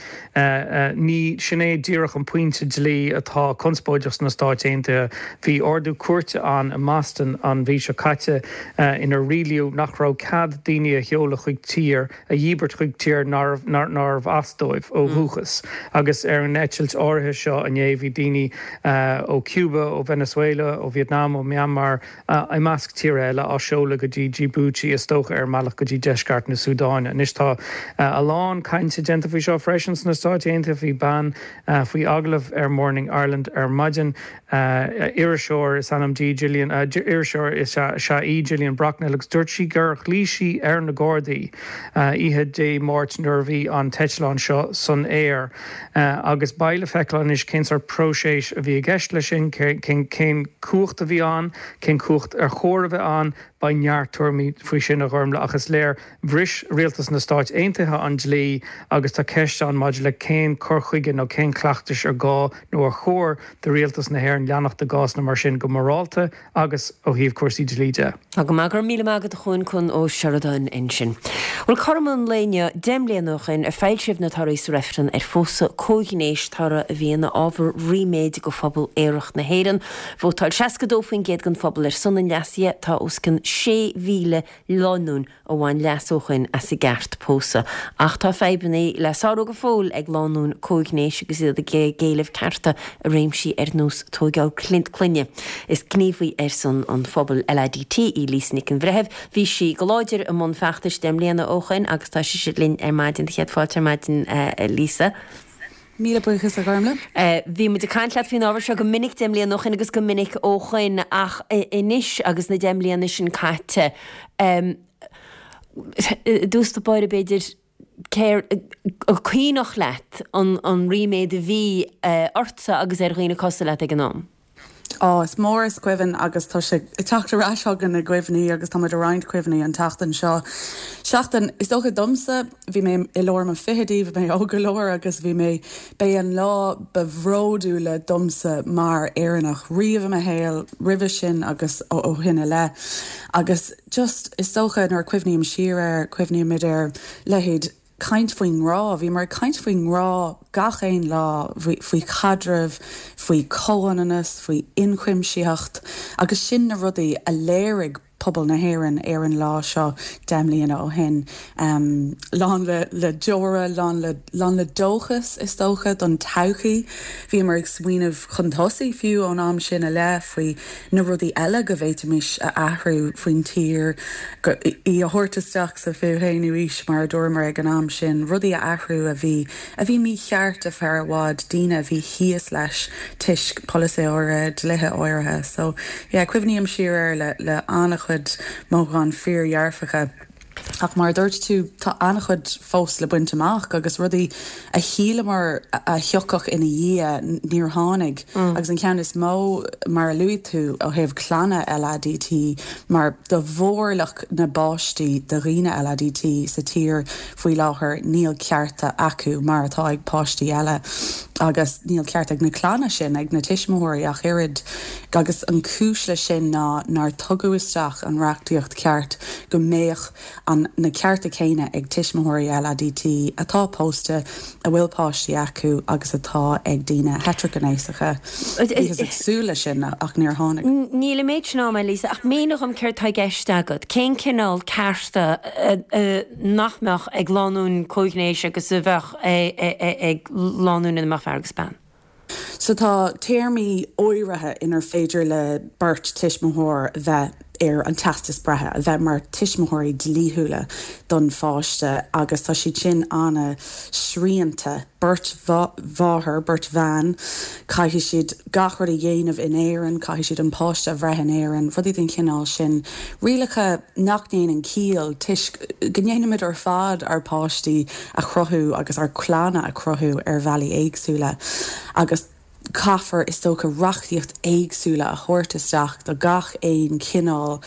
Ní sin é díreach an pointe dlí atá conspóideach sna Stáit Aontaithe. Bhí ordú cúirte ann i mBoston an mhí seo caite inar rialaíodh nach raibh cead daoine a sheoladh chuig tír, a dhíbirt chuig tír nárbh as dóibh ó dhúchas. Agus ar an eitilt áirithe seo inné bhí daoine ó Cuba, ó Venezuela, ó Vietnam, ó Myanmar, i measc tíortha eile, á seoladh go dtí Djibouti, is dócha ar a mbealach go dtí deisceart na Súdáine. Anois tá a lán cainte déanta faoi seo freisin sna Stáit Aontaithe. Bhí bean faoi agallamh ar Morning Ireland ar maidin, iriseoir is ainm di, Gillian, iriseoir is ea í, Gillian Brocknell, agus dúirt sí gur ghlaoigh sí ar na Gardaí oíche Dé Máirt nuair a bhí an t-eitleán seo san aer. Agus beidh le feiceáil anois cén sórt próiseas a bhí i gceist leis sin, cén cumhacht a bhí ann, cén cumhacht ar chóir a bheith ann. Beidh neart tuairimí faoi sin, a Ghormlaith, ach is léir, bhris rialtas na Stáit Aontaithe an dlí agus tá ceist ann maidir le cén cur chuige nó cén cleachtais ar gá nó ar chóir do rialtas na hÉireann leanacht i gcásanna mar sin go morálta agus ó thaobh cúrsaí dlí de. Tá go maith, go raibh míle maith agat a Chuain, Cuan Ó Seireadáin ansin. Bhuel, cothrom an lae inniu, 10 mbliana ó shoin, a foilsíodh na torthaí sa reifreann ar phósadh comhghnéis, toradh a bhí ina ábhar ríméid do phobal aerach na hÉireann. Vótáil 62% den phobal ar son an leasaithe, tá os cionn 6,000 lánúin a bhain leas ó shoin as a gceart pósadh. Ach tá fadhbanna le sárú go fóill ag lánúin comhghnéis agus iad ag éileamh cearta i réimsí ar nós tóigeáil clainne. Is gníomhaí ar son an phobail LADT í Lisa Nic an Bhreithimh. Bhí sí go láidir i mbun feachtais 10 mbliana ó shoin agus tá sise linn ar maidin. Céad fáilte ar maidin a Lisa. Míle buíochas a Ghormlaith. Bhí muid ag caint leat faoin ábhar seo go minic 10 mbliana ó shoin agus go minic ó shoin ach anois agus na 10 mbliana sin caite, i dtús báire b'fhéidir, céard, an cuimhneach leat an ríméad a bhí ortsa agus ar dhaoine cosúil leat ag an am? Á, is mór is cuimhin agus tá sé ag teacht ar ais chugainn i gcuimhní agus tá muid ag roinnt cuimhní an tseachtain seo. Seachtain, is dócha domsa, bhí mé i lár mo fichidí, bhí mé óg go leor agus bhí mé, b'é an lá ba bhródúla domsa mar Éireannach riamh i mo shaol, roimhe sin agus ó shin i leith. Agus just, is dócha nuair a cuimhním siar air, cuimhnímid ar leithéid, caint faoin ngrá. Bhíomar ag caint faoin ngrá gach aon lá, faoi chaidreamh, faoi chomhionannas, faoi ionchuimsitheacht agus sin na rudaí a léirigh. pobal na hÉireann ar an lá seo 10 mbliana ó shin. Lán le le deora, lán le lán le dóchas is dócha don todhchaí. Bhíomar ag smaoineamh chun tosaigh fiú ón am sin i leith faoi na rudaí eile go bhféadfaimis a athrú faoin tír, í a thabhairt isteach sa 21ú aois mar a dúramar ag an am sin, rudaí a athrú a bhí a bhí mícheart ar feadh i bhfad, daoine a bhí thíos leis toisc polasaithe áirithe, dlíthe áirithe. So yeah, cuimhním siar air le le an-chuid mothúcháin fíordhearfacha. Ach mar a dúirt tú, tá an-chuid fós le baint amach agus rudaí a shíleamar a thiocfadh ina dhiaidh, níor tháinig. Agus an ceann is mó, mar a luaigh tú, ó thaobh clanna LADT, mar do mhórlach na bpáistí de dhaoine LADT sa tír faoi láthair, níl cearta acu mar atá ag páistí eile. Agus níl cearta ag na clanna sin, ag na tuismitheoirí ach oiread. Agus an chúis leis sin ná nár tugadh isteach an reachtaíocht ceart go mbeadh an na cearta céanna ag tuismitheoirí LADT atá pósta, a bhfuil páistí acu agus atá ag daoine heitrighnéasacha. Bhíothas ag súil leis sin ach níor tháinig. Níl an méid sin ama, Lisa, ach mínigh dom céard tá i gceist agat. Cén cineál cearta nach mbeadh ag lánúin comhghnéis agus a bheadh ag lánúin ina mbeadh fear agus bean? So tá téarmaí áirithe inar féidir le beirt tuismitheoir bheith ar an teastas breithe, a bheith mar tuismitheoirí dlíthiúla don pháiste agus tá siad sin ana-shrianta. Beirt mháthair, beirt bhean, caithfidh siad gach rud a dhéanamh in Éirinn, caithfidh siad an páiste a bhreith in Éirinn, rudaí den chineál sin. Rialacha nach ndéanann ciall toisc go ndéanaimid ar fad ár bpáistí a chruthú agus ár gclanna a chruthú ar bhealaí éagsúla agus caithfear, is dócha, reachtaíocht éagsúla a thabhairt isteach do gach aon chineál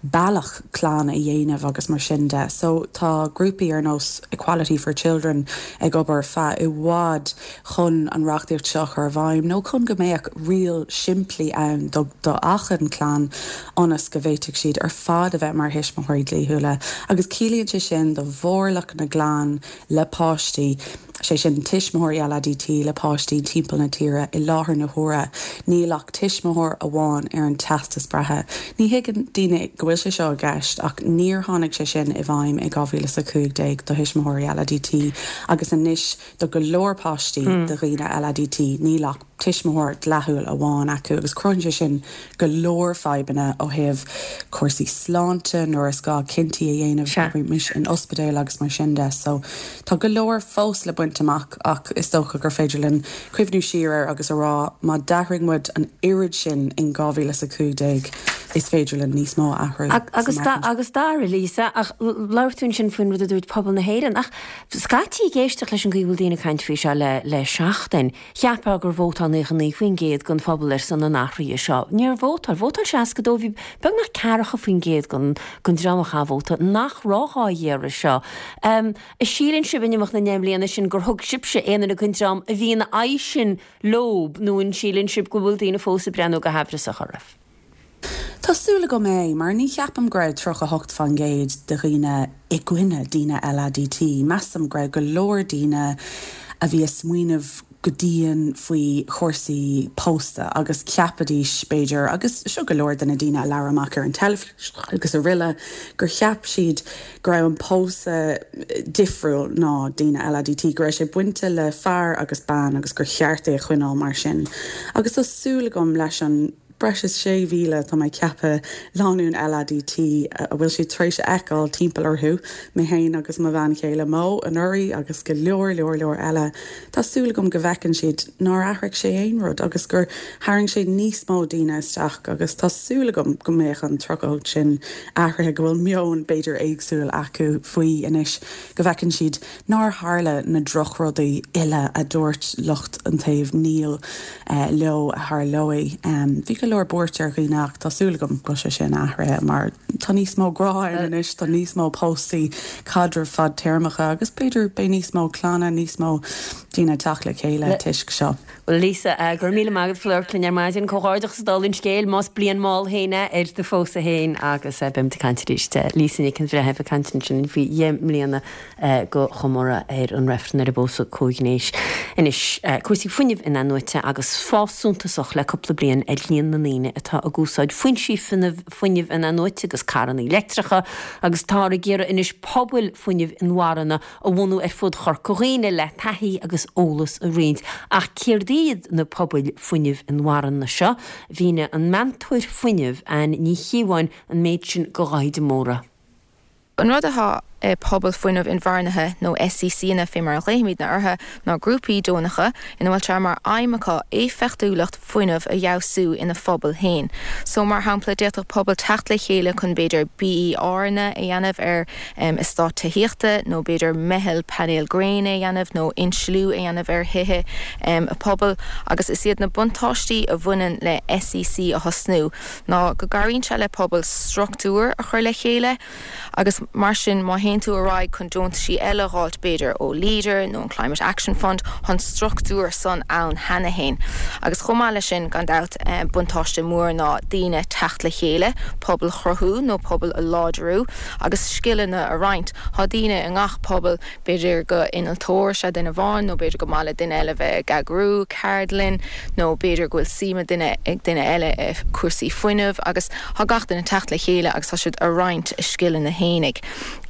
bealach clann a dhéanamh agus mar sin de. So tá grúpaí ar nós Equality for Children ag obair feadh i bhfad chun an reachtaíocht seo a chur i bhfeidhm nó chun go mbeadh riail simplí ann do do achan clann ionas go bhféadfadh siad ar fad a bheith mar thuismitheoirí dlíthiúla agus ciallaíonn sé sin do mhórlach na gclann le páistí, sé sin tuismitheoirí LADT le páistí timpeall na tíre i láthair na huaire níl ach tuismitheoir amháin ar an teastas breithe. Ní thuigeann daoine go bhfuil sé seo i gceist ach níor tháinig sé sin i bhfeidhm i 2015 do thuismitheoirí LADT agus anois Do go leor páistí de dhaoine LADT níl ach tuismitheoir dleathúil amháin acu agus cruthaíonn sé sin go leor fadhbanna ó thaobh cúrsaí sláinte nuair is gá cinntí a dhéanamh, abraimis in ospidéal agus mar sin de. So tá go leor fós le baint amach ach is dócha gur féidir linn cuimhniú siar air agus a rá má d'athraigh muid an oiread sin in 2015 is féidir linn níos mó a athrú Agus agus dara, Lisa, ach labhair tú ansin faoin rud a dúirt pobal na hÉireann ach Scaití ag éisteacht leis an gcaoi a bhfuil daoine ag caint faoi seo le le seachtain, cheapfá gur vótáil 99% den phobal ar son an athraithe seo. Níor vótáil. Vótáil 62, bhí beagnach ceathracha faoin gcéad den den dream a chaith vóta nach raibh á iarraidh seo. An síleann sibh in imeacht na ndeich mbliana sin gur thug sibhse aon duine den dream a bhí ina aghaidh sin leob nó an síleann sibh go bhfuil daoine fós ag breathnú go haimhreasach oraibh? Tá súil agam é, mar ní cheapaim go raibh 38% de dhaoine i gcoinne daoine LADT. Measaim go raibh go leor daoine a bhí ag smaoineamh go dian faoi chúrsaí pósta agus cheapaidís, b'fhéidir, agus seo go leor de na daoine a labhair amach ar an teilifís agus aroile, gur cheap siad go raibh an pósadh difriúil ná daoine LADT, go raibh sé bainte le fear agus bean agus gur cheart é a choinneáil mar sin. Agus tá súil agam leis an. Breis is 6,000, tá mé ag ceapadh, lánúin LADT a bhfuil siad tar éis a fheiceáil timpeall orthu, mé féin agus mo bhean chéile Mo anuraidh agus go leor leor leor eile. Tá súil agam go bhfeiceann siad nár athraigh sé aon rud agus gur tharraing sé níos mó daoine isteach agus tá súil agam go mbeadh an 38 sin athraithe, go bhfuil meon b'fhéidir éagsúil acu faoi anois, go bhfeiceann siad nár tharla na drochrudaí uile a dúirt lucht an taobh 'níl' leo a tharlóidh. Bhí go leor buairt ar dhaoine ach tá súil agam go bhfuil sé sin athraithe mar tá níos mó grá ann anois, tá níos mó póstaí, caidrimh fadtéarmacha agus b'fhéidir beidh níos mó clanna, níos mó. daoine ag teacht le chéile toisc seo. Bhuel Lisa, go raibh míle maith agat as labhairt linn ar maidin. Comhghairdeachas dála an scéil, más bliain mhall féin é ar do phósadh féin agus beimid ag caint arís. Lisa Nic an Bhreithimh ag caint ansin faoi dheich mbliana de chomóradh ar an reifreann ar an bpósadh comhghnéis. Anois, cúrsaí fuinnimh in-athnuaite agus fás suntasach le cúpla bliain ar líon na ndaoine atá ag úsáid foinsí fuinnimh in-athnuaite agus carranna leictreacha agus táthar ag iarraidh anois pobail fuinnimh inmharthana a bhunú ar fud Chorca Dhuibhne le taithí agus eolas a roinnt. Ach céard iad na pobail fuinnimh inmharthana seo? Mhínigh an meantóir fuinnimh, Anne Ní Chíobháin, an méid sin do Dháithí de Mórdha. An rud atá i Pobail Fuinnimh Inmharthanaithe, nó SECanna fé mar a ghlaofaimidne orthu, ná grúpaí deonacha ina bhfuil sé mar aidhm acu éifeachtúlacht fuinnimh a fheabhsú ina phobal féin. So, mar shampla, d'fhéadfadh pobal teacht le chéile chun b'fhéidir BERanna a dhéanamh ar eastát tithíochta nó b'fhéidir meitheal painéal gréine a dhéanamh nó insliú a dhéanamh ar thithe a pobail agus is iad na buntáistí a bhaineann le SEC a thosnú ná go gcabhraíonn sé le pobal struchtúr a chur le chéile Agus mar sin, má théann tú ar aghaidh chun deontaisí eile a dh'fháilt, b'fhéidir ó Leader nó an Climate Action Fund, thá an struchtúr san ann cheana fhéin. Agus chomh maith leis sin, gan dabht, buntáiste mór ná daoine teacht le chéile, pobal chruthú nó pobal a láidriú agus scileanna a roinnt. Thá daoine i ngach pobal, B'fhéidir go innealtóir is ea duine amháin nó b'fhéidir go maith le duine eile bheith ag eagrú ceardlann nó b'fhéidir go bhfuil suim ag duine ag duine eile i cúrsaí fuinnimh agus tá gach duine ag teacht le chéile agus tá siad a roinnt a scileanna fhéinig.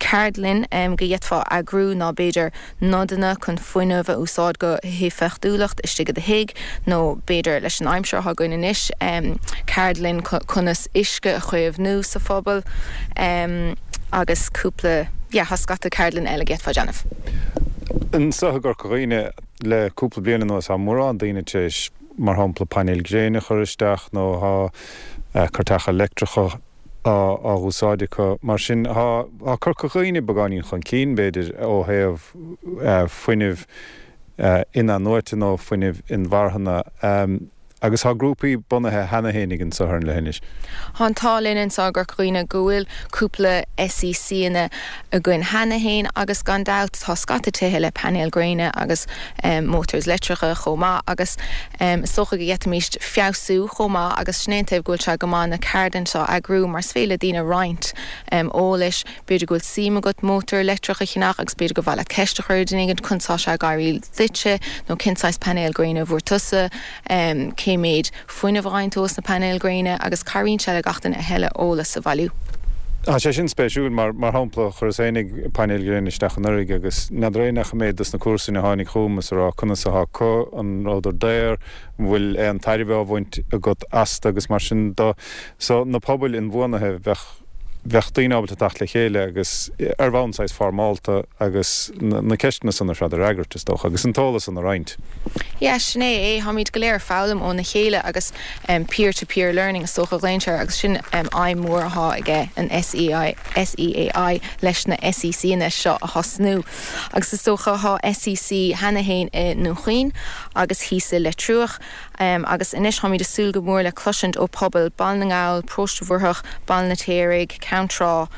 Ceardlann go d'fhéadfá eagrú ná b'fhéidir nodanna chun fuinneamh a úsáid go héifeachtúlacht istigh i do thigh nó b'fhéidir leis an aimsir atá againn anois ceardlann conas uisce a chaomhnú sa phobal agus cúpla yeah tá scata ceardlann eile go d'fhéadfá déanamh. Anseo i gCorca Dhuibhne le cúpla bliain anuas tá mórán daoine tar éis mar shampla painéil gréine a chur isteach nó tá cairteacha leictreacha á dh'úsáid acu. Mar sin tá Corca Dhuibhne beagáinín chun cinn b'fhéidir ó thaobh fuinnimh in-athnuaite nó fuinnimh inmharthana. Agus tá grúpaí bunaithe cheana fhéinig anso ar an leithinis. Tá an t-ádh linn anseo i gCorca Dhuibhne go bhfuil cúpla SECanna againn cheana fhéin agus gan dabht tá scata tithe le painéil gréine agus motors leictreacha chomh maith agus is dócha go d'fhéadfaimis feabhsú chomh maith agus sin é an taobh go bhfuil sé go maith na ceardlanna seo a eagrú mar is féidir le daoine roinnt eolais B'fhéidir go bhfuil suim agat mótar leictreach a cheannach agus b'fhéidir gur mhaith leat ceist a chur ar duine éigin conas tá sé ag éirí duitse nó cén saghas painéal gréine a bhfuair tusa, cé méid fuinnimh a fhaigheann tú os na painéil gréine agus cabhraíonn sé le gach duine a thuilleadh eolas a bhailiú. Tá sé sin spéisiúil mar, mar shampla, chuireas fhéinig painéil ghréine isteach anuraidh agus n'fheadar aon neach an méid dos na comharsain a tháinig chugam is a rá conas athá acu, an rabhadar daor, an bhfuil aon tairbhe á bhaint agat astu agus mar sin do. So, na pobail inbhuanaithe, bheadh. bheadh daoine ábalta teacht le chéile agus ar bhonn saghas foirmeálta agus na ceisteanna san ar fad a fhreagairt, is dócha, agus an t-eolas san a roinnt. Yeah, sin é é. Táimid go léir ag foghlaim óna chéile agus peer to peer learning is dócha a ghlaonn sé air agus sin aidhm mhór athá aige an SEAI, SEAI leis na SECanna seo a thosnú. Agus is dócha thá SEC cheana fhéin i nDún Chaoin agus thíos i Leitriúch. Agus anois táimid ag súil go mór le cloisint ó pobail Baile na nGall, Paróiste Mhuirtheach, Baile an Fheirtéaraigh, Ceann Trá.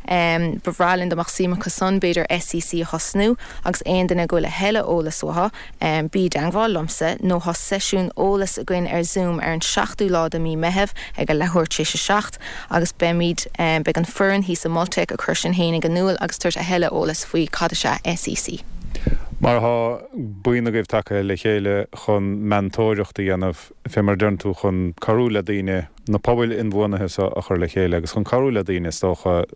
Ba bhreá linn dá mbeadh suim acu san b'fhéidir SEC a thosnú agus aon duine go bhfuil a thuilleadh eolas uathu, bí i dteangmháil liomsa nó thá seisiún eolais againn ar Zoom ar an seachtú lá de mí Meitheamh ag a leathuair tar éis a 7 agus beimid, beidh an foireann thíos i Multec ag cur sin fhéinig in iúl agus tabhairt a thuilleadh eolas faoi cad is ea SEC. Mar thá buíon agaibh tagtha le chéile chun meantóireacht a dhéanamh, fé mar a deireann tú, chun cabhrú le daoine na pobail inbhuanaithe seo a chur le chéile agus chun cabhrú le daoine, is dócha,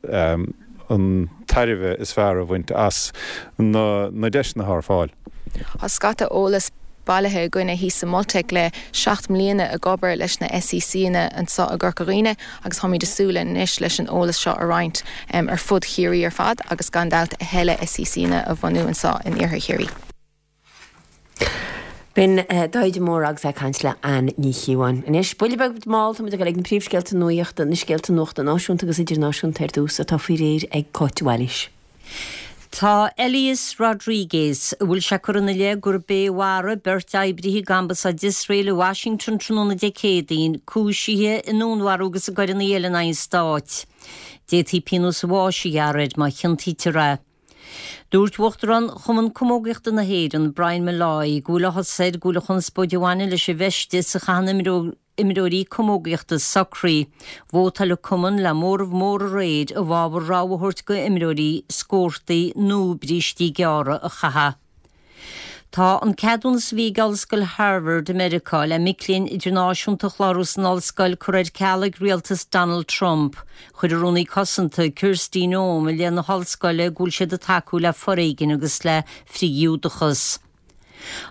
an tairbhe is fearr a bhaint as na deiseanna atá ar fáil. Tá scata eolas bailithe againne thíos sa Multec le 7 mbliana ag obair leis na SECanna anseo i gCorca Dhuibhne agus táimid ag súil anois leis an eolas seo a roinnt ar fud Chiarraí ar fad agus gan dabht a thuilleadh SECanna a bhunú anseo in Iarthar Chiarraí. B'in Dáithí de Mórdha agus é ag caint le Anne Ní Chíobháin. Anois, buille beag mall, táimid ag dul ag na príomhscéalta nuachta, na scéalta nuachta náisiúnta agus idirnáisiúnta ar dtús, atá faoi réir ag Cáit de Bhailís. Tá Elias Rodriguez, a bhfuil sé curtha ina leith gurb é a mharaigh beirt oibrithe ag Ambasáid Iosrael i Washington tráthnóna Dé Céadaoin, cúisithe i ndúnmharú agus i gcoireanna eile in aghaidh an stáit. D'fhéadfaí pionós an bháis a ghearradh air má chiontaítear é. Dúirt Uachtarán Chumann Camógaíochta na hÉireann, Brian Molloy, go bhfuil áthas air go bhfuil an chonspóid a bhaineann leis an bhfeisteas a chaitheann imreoirí camógaíochta socraithe. Vótáil an cumann le móramh mór aréir i bhfabhar rogha a thabhairt go imreoirí scórtaí nó brístí gearra a chaitheamh. Tá an ceadúnas a bhí ag Ollscoil Harvard i Meiriceá le mic léinn idirnáisiúnta a chlárú san ollscoil curtha ar ceal ag rialtas Donald Trump. Chuir an Rúnaí Cosanta, Kristi Noem, i leith na hollscoile go bhfuil siad ag tacú le foréigean agus le frith-Ghiúdachas.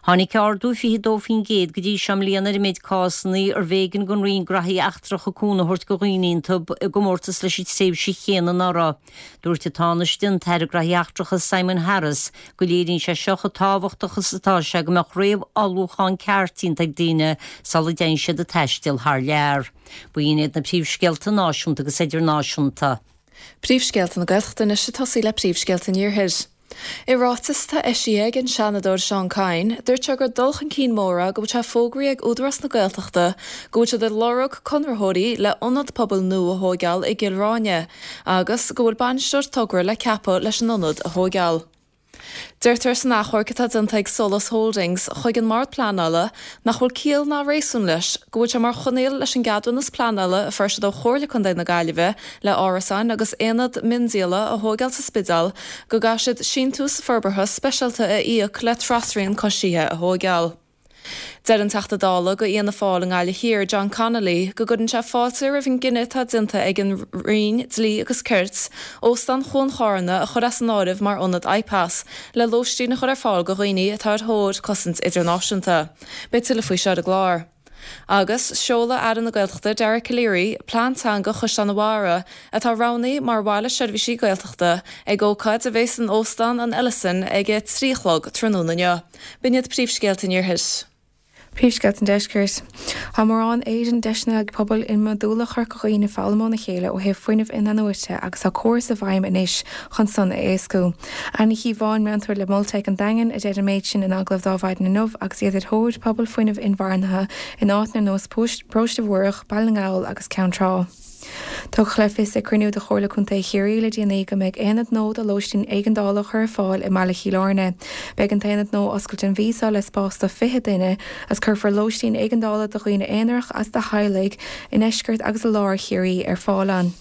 Tháinig ardú 22% go dtí seo i mbliana ar an méid cásanna arbh éigean don Roinn Graithí Eachtracha cúnamh a thabhairt do dhaoine iontu i gcomórtas leis an tréimhse chéanna anuraidh. Dúirt an Tánaiste, an tAire Graithí Eachtracha Simon Harris, go léiríonn sé seo chomh tábhachtach is atá sé go mbeadh réamh-ullmhúchán ceart déanta ag daoine sula dtéann siad ag taisteal thar lear. B'in iad na príomhscéalta náisiúnta agus idirnáisiúnta. Príomhscéalta na Gaeltachta anois ag tosaí le príomhscéalta an Iarthair. I ráiteas atá eisithe ag an Seanadóir Seán Kyne, dúirt sé gur dul chun cinn mór é go bhfuil sé fógraithe ag Údarás na Gaeltachta go bhfuil siad ag lorg conraitheoirí le ionad pobail nua a thóigeáil i gCill Ráine agus go bhfuil bainisteoir togra le ceapadh leis an ionad a thóigeáil. Deirtear san achomharc atá déanta ag Solas Holdings chuig an mBord Pleanála nach bhfuil ciall ná réasún leis go bhfuil sé mar choinníoll leis an gceadúnas pleanála a fuair siad ó Chomhairle Contae na Gaillimhe le árasáin agus aonad miondíola a thóigeáil sa Spidéal go gcaithfidh siad síntiús forbartha speisialta a íoc le trasrian coisithe a thóigeáil. Deir an Teachta Dála go Fhianna Fáil i nGaillimh Thiar, John Connolly, go gcuireann sé fáilte roimh an gcinneadh atá déanta ag an Roinn Dlí agus Cirt Óstán Chuan Chárna a chur as an áireamh mar ionad IPAS le lóistín a chur ar fáil go dhaoine atá ar thóir cosaint idirnáisiúnta. Beidh tuilleadh faoi seo ar an gclár. Agus seolfaidh Aire na Gaeltachta Dara Calleary plean teanga Chaisleán an Bharraigh, atá roghnaithe mar bhaile seirbhísí Gaeltachta, ag ócáid a bheas in Óstán an Ellison ag a 3 a chlog tráthnóna inniu. B'in iad príomhscéalta an Iarthair. Príomhscéalta an Deiscirt. Tá mórán éireann deiseanna ag pobail iomadúla Chorca Dhuibhne foghlaim óna chéile ó thaobh fuinneamh inathnuaite agus tá córas i bhfeidhm anois chun san a éascú. Anne Ní Chíobháin, meantóir le Molteic an Daingin, a deir an méid sin in agallamh d'Adhmhaidin inniu agus iad ar thóir pobal fuinnimh inmharthana in áiteanna ar nós Paróiste Mhuireach, Baile na nGall agus Ceann Trá. Tugadh le fios ag cruinniú de Chomhairle Contae Chiarraí le déanaí go mbeidh aonad nua do lóistín éigeandála á chur ar fáil i mbaile Chill Airne. Beidh an t-aonad nua oscailte an mhí seo le spás do 20 duine agus cuirfear lóistín éigeandála do dhaoine aonarach agus do theaghlaigh i ndeisceart agus i lár Chiarraí ar fáil ann.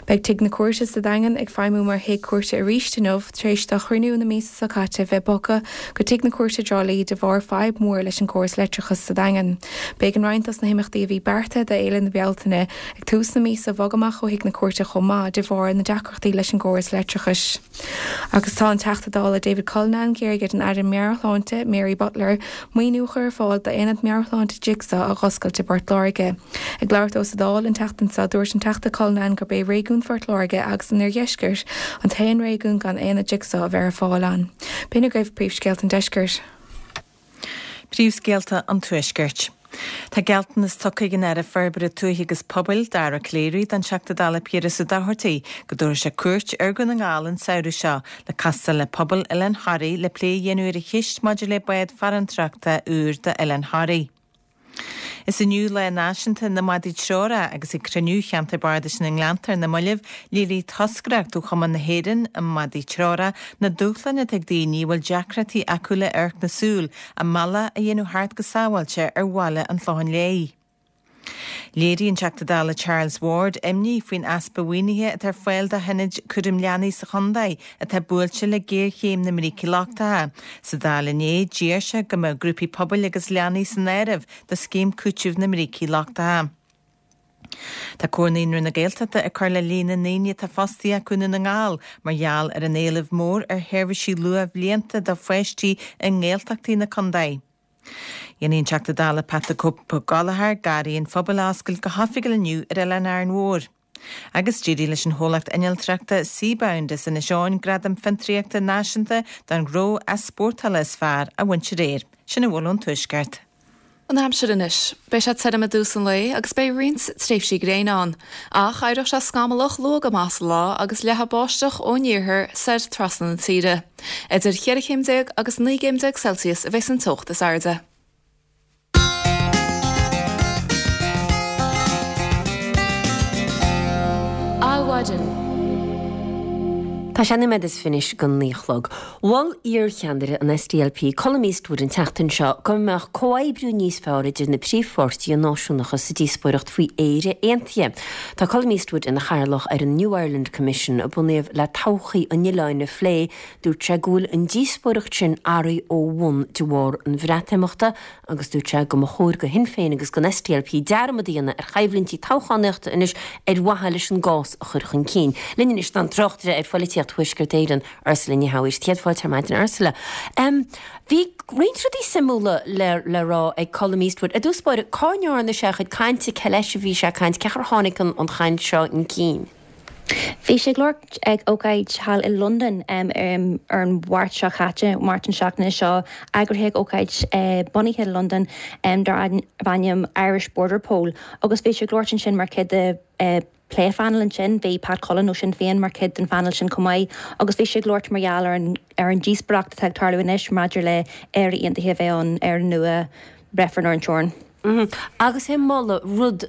Beidh Tigh na Cúirte sa Daingean ag feidhmiú mar thigh cúirte arís inniu tar éis do chruinniú na míosa seo caite bheith bogtha go Tigh na Cúirte i dTrá Lí de bharr fadhb mhór leis an gcóras leictreachais sa Daingean. B'éigean roinnt dos na himeachtaí a bhí beartaithe do Fhéile na Bealtaine ag tús na míosa a bhogadh amach ó Thigh na Cúirte chomh maith de bharr na deacrachtaí leis an gcóras leictreachais. Agus tá an Teachta Dála David Cullinane ag iarraidh ar an Aire Meabhairshláinte Mary Butler maoiniú a chur ar fáil d'Aonad Meabhairshláinte Jigsaw a dh'oscailt i bPort Láirge. Ag labhairt dó sa Dáil an tseachtain seo, dúirt an Teachta Cullinane gurb é réigiún Phort Láirge agus an Oirdheiscirt an t-aon réigiún gan aonad Jigsaw a bheith ar fáil ann. B'in agaibh príomhscéalta an deiscirt. Príomhscéalta an Tuaiscirt. Tá gealltanas tugtha ag an Aire Forbartha Tuaithe agus Pobail, Dara Calleary, don Teachta Dála Piaras Ó Dochartaigh go dtabharfaidh sé cuairt ar Dhún na nGall an samhradh seo le castáil le pobal Oileán Thoraí le plé a dhéanamh ar an cheist maidir le bád farantóireachta úr d'Oileán Thoraí. Is inniu Lá Náisiúnta na Madaí Treorach agus ag cruinniú Cheantar Bardais na nGleannta ar na mallaibh, léirigh toscaireacht ó Chumann na hÉireann um Madaí Treorach na dúshláin atá ag daoine a bhfuil deacrachtaí acu le amharc na súl a mbealach a dhéanamh thart go sábháilte ar bhaile an Chlocháin Léith. Léirigh an Teachta Dála Charles Ward imní faoin easpa mhaoinithe atá ar fáil do hionaid cúraim leanaí sa chontae atá buailte le géarchéim na mbrící lochtacha. Sa Dáil inné, d'iarr sé go mbeadh grúpaí pobail agus leanaí san áireamh do scéim cúitimh na mbrící lochtacha. Tá Comhar Naíonraí na Gaeltachta ag cur le líon na ndaoine atá fostaithe acu i nDún na nGall mar gheall ar an éileamh mór ar sheirbhísí luathbhlianta do pháistí i nGaeltachtaí na contae. Déanfaidh an Teachta Dála Pat 'The Cope' Ó Gallchóir Garraí an Phobail a oscailt go hoifigiúil inniu ar Oileán Árainn Mhór. Agus d'éirigh leis an chomhlacht innealtóireachta Seabound as Inis Eoghain Gradam Fiontraíochta Náisiúnta don Ghnó Easpórtála is Fearr a bhaint aréir. Sin a bhfuil ón Tuaisceart. An aimsir anois. Beidh sé tirim i dtús an lae agus beidh roinnt tréimhsí gréine ann. Ach éireoidh sé scamallach luath go maith sa lá agus leathfaidh báisteach ón iarthar soir trasna na tíre. Idir cheithre chéim déag agus 19 gcéim Celsius a bheas an teocht is airde. Adhmhaidin. Tá sé nóiméad is fiche go naoi a chlog. Mhol iarcheannaire an SDLP, Colum Eastwood an tseachtain seo go mbeadh comhoibriú níos fearr idir na príomhpháirtithe náisiúnacha sa díospóireacht faoi Éire aontaithe. Tá Colum Eastwood ina chathaoirleach ar an New Ireland Commission a bunaíodh le todhchaí an oileáin a phlé. Dúirt sé go bhfuil an díospóireacht sin athraithe ó bhun de bharr an Bhreatimeachta agus dúirt sé go mba chóir do Shinn Féin agus don SDLP dearmad a dhéanamh ar choimhlintí toghchánaíochta anois ar mhaithe leis an gcás a chur chun cinn. Linn anois tá an tráchtaire ar phoilitíocht Thuaisceart Éireann, Ursula Ní Shamhaois. Céad fáilte ar maidin, Ursula. Bhí roinnt rudaí suimiúla le le rá ag Colum Eastwood. I dtús báire, cá ndearna sé a chuid cainte, cé leis a bhí sé ag caint, cén chaoi ar tháinig an chaint seo chun cinn? Bhí sé ag labhairt ag ócáid thall i Londain ar an Mháirt seo chaite, Máirt na seachtaine seo, eagraithe ag ócáid bunaithe i Londain darb ainm Irish Border Poll agus bhí sé ag labhairt ansin mar chuid de pléphainéal ansin. Bhí Pat Cullen ó Sinn Féin mar chuid den phainéal sin chomh maith agus bhí sé ag labhairt mar gheall ar an ar an díospóireacht atá ag tarlú anois maidir le Éire Aontaithe a bheith ann, Éire nua, reifreann ar an teorainn. Agus é ag moladh rud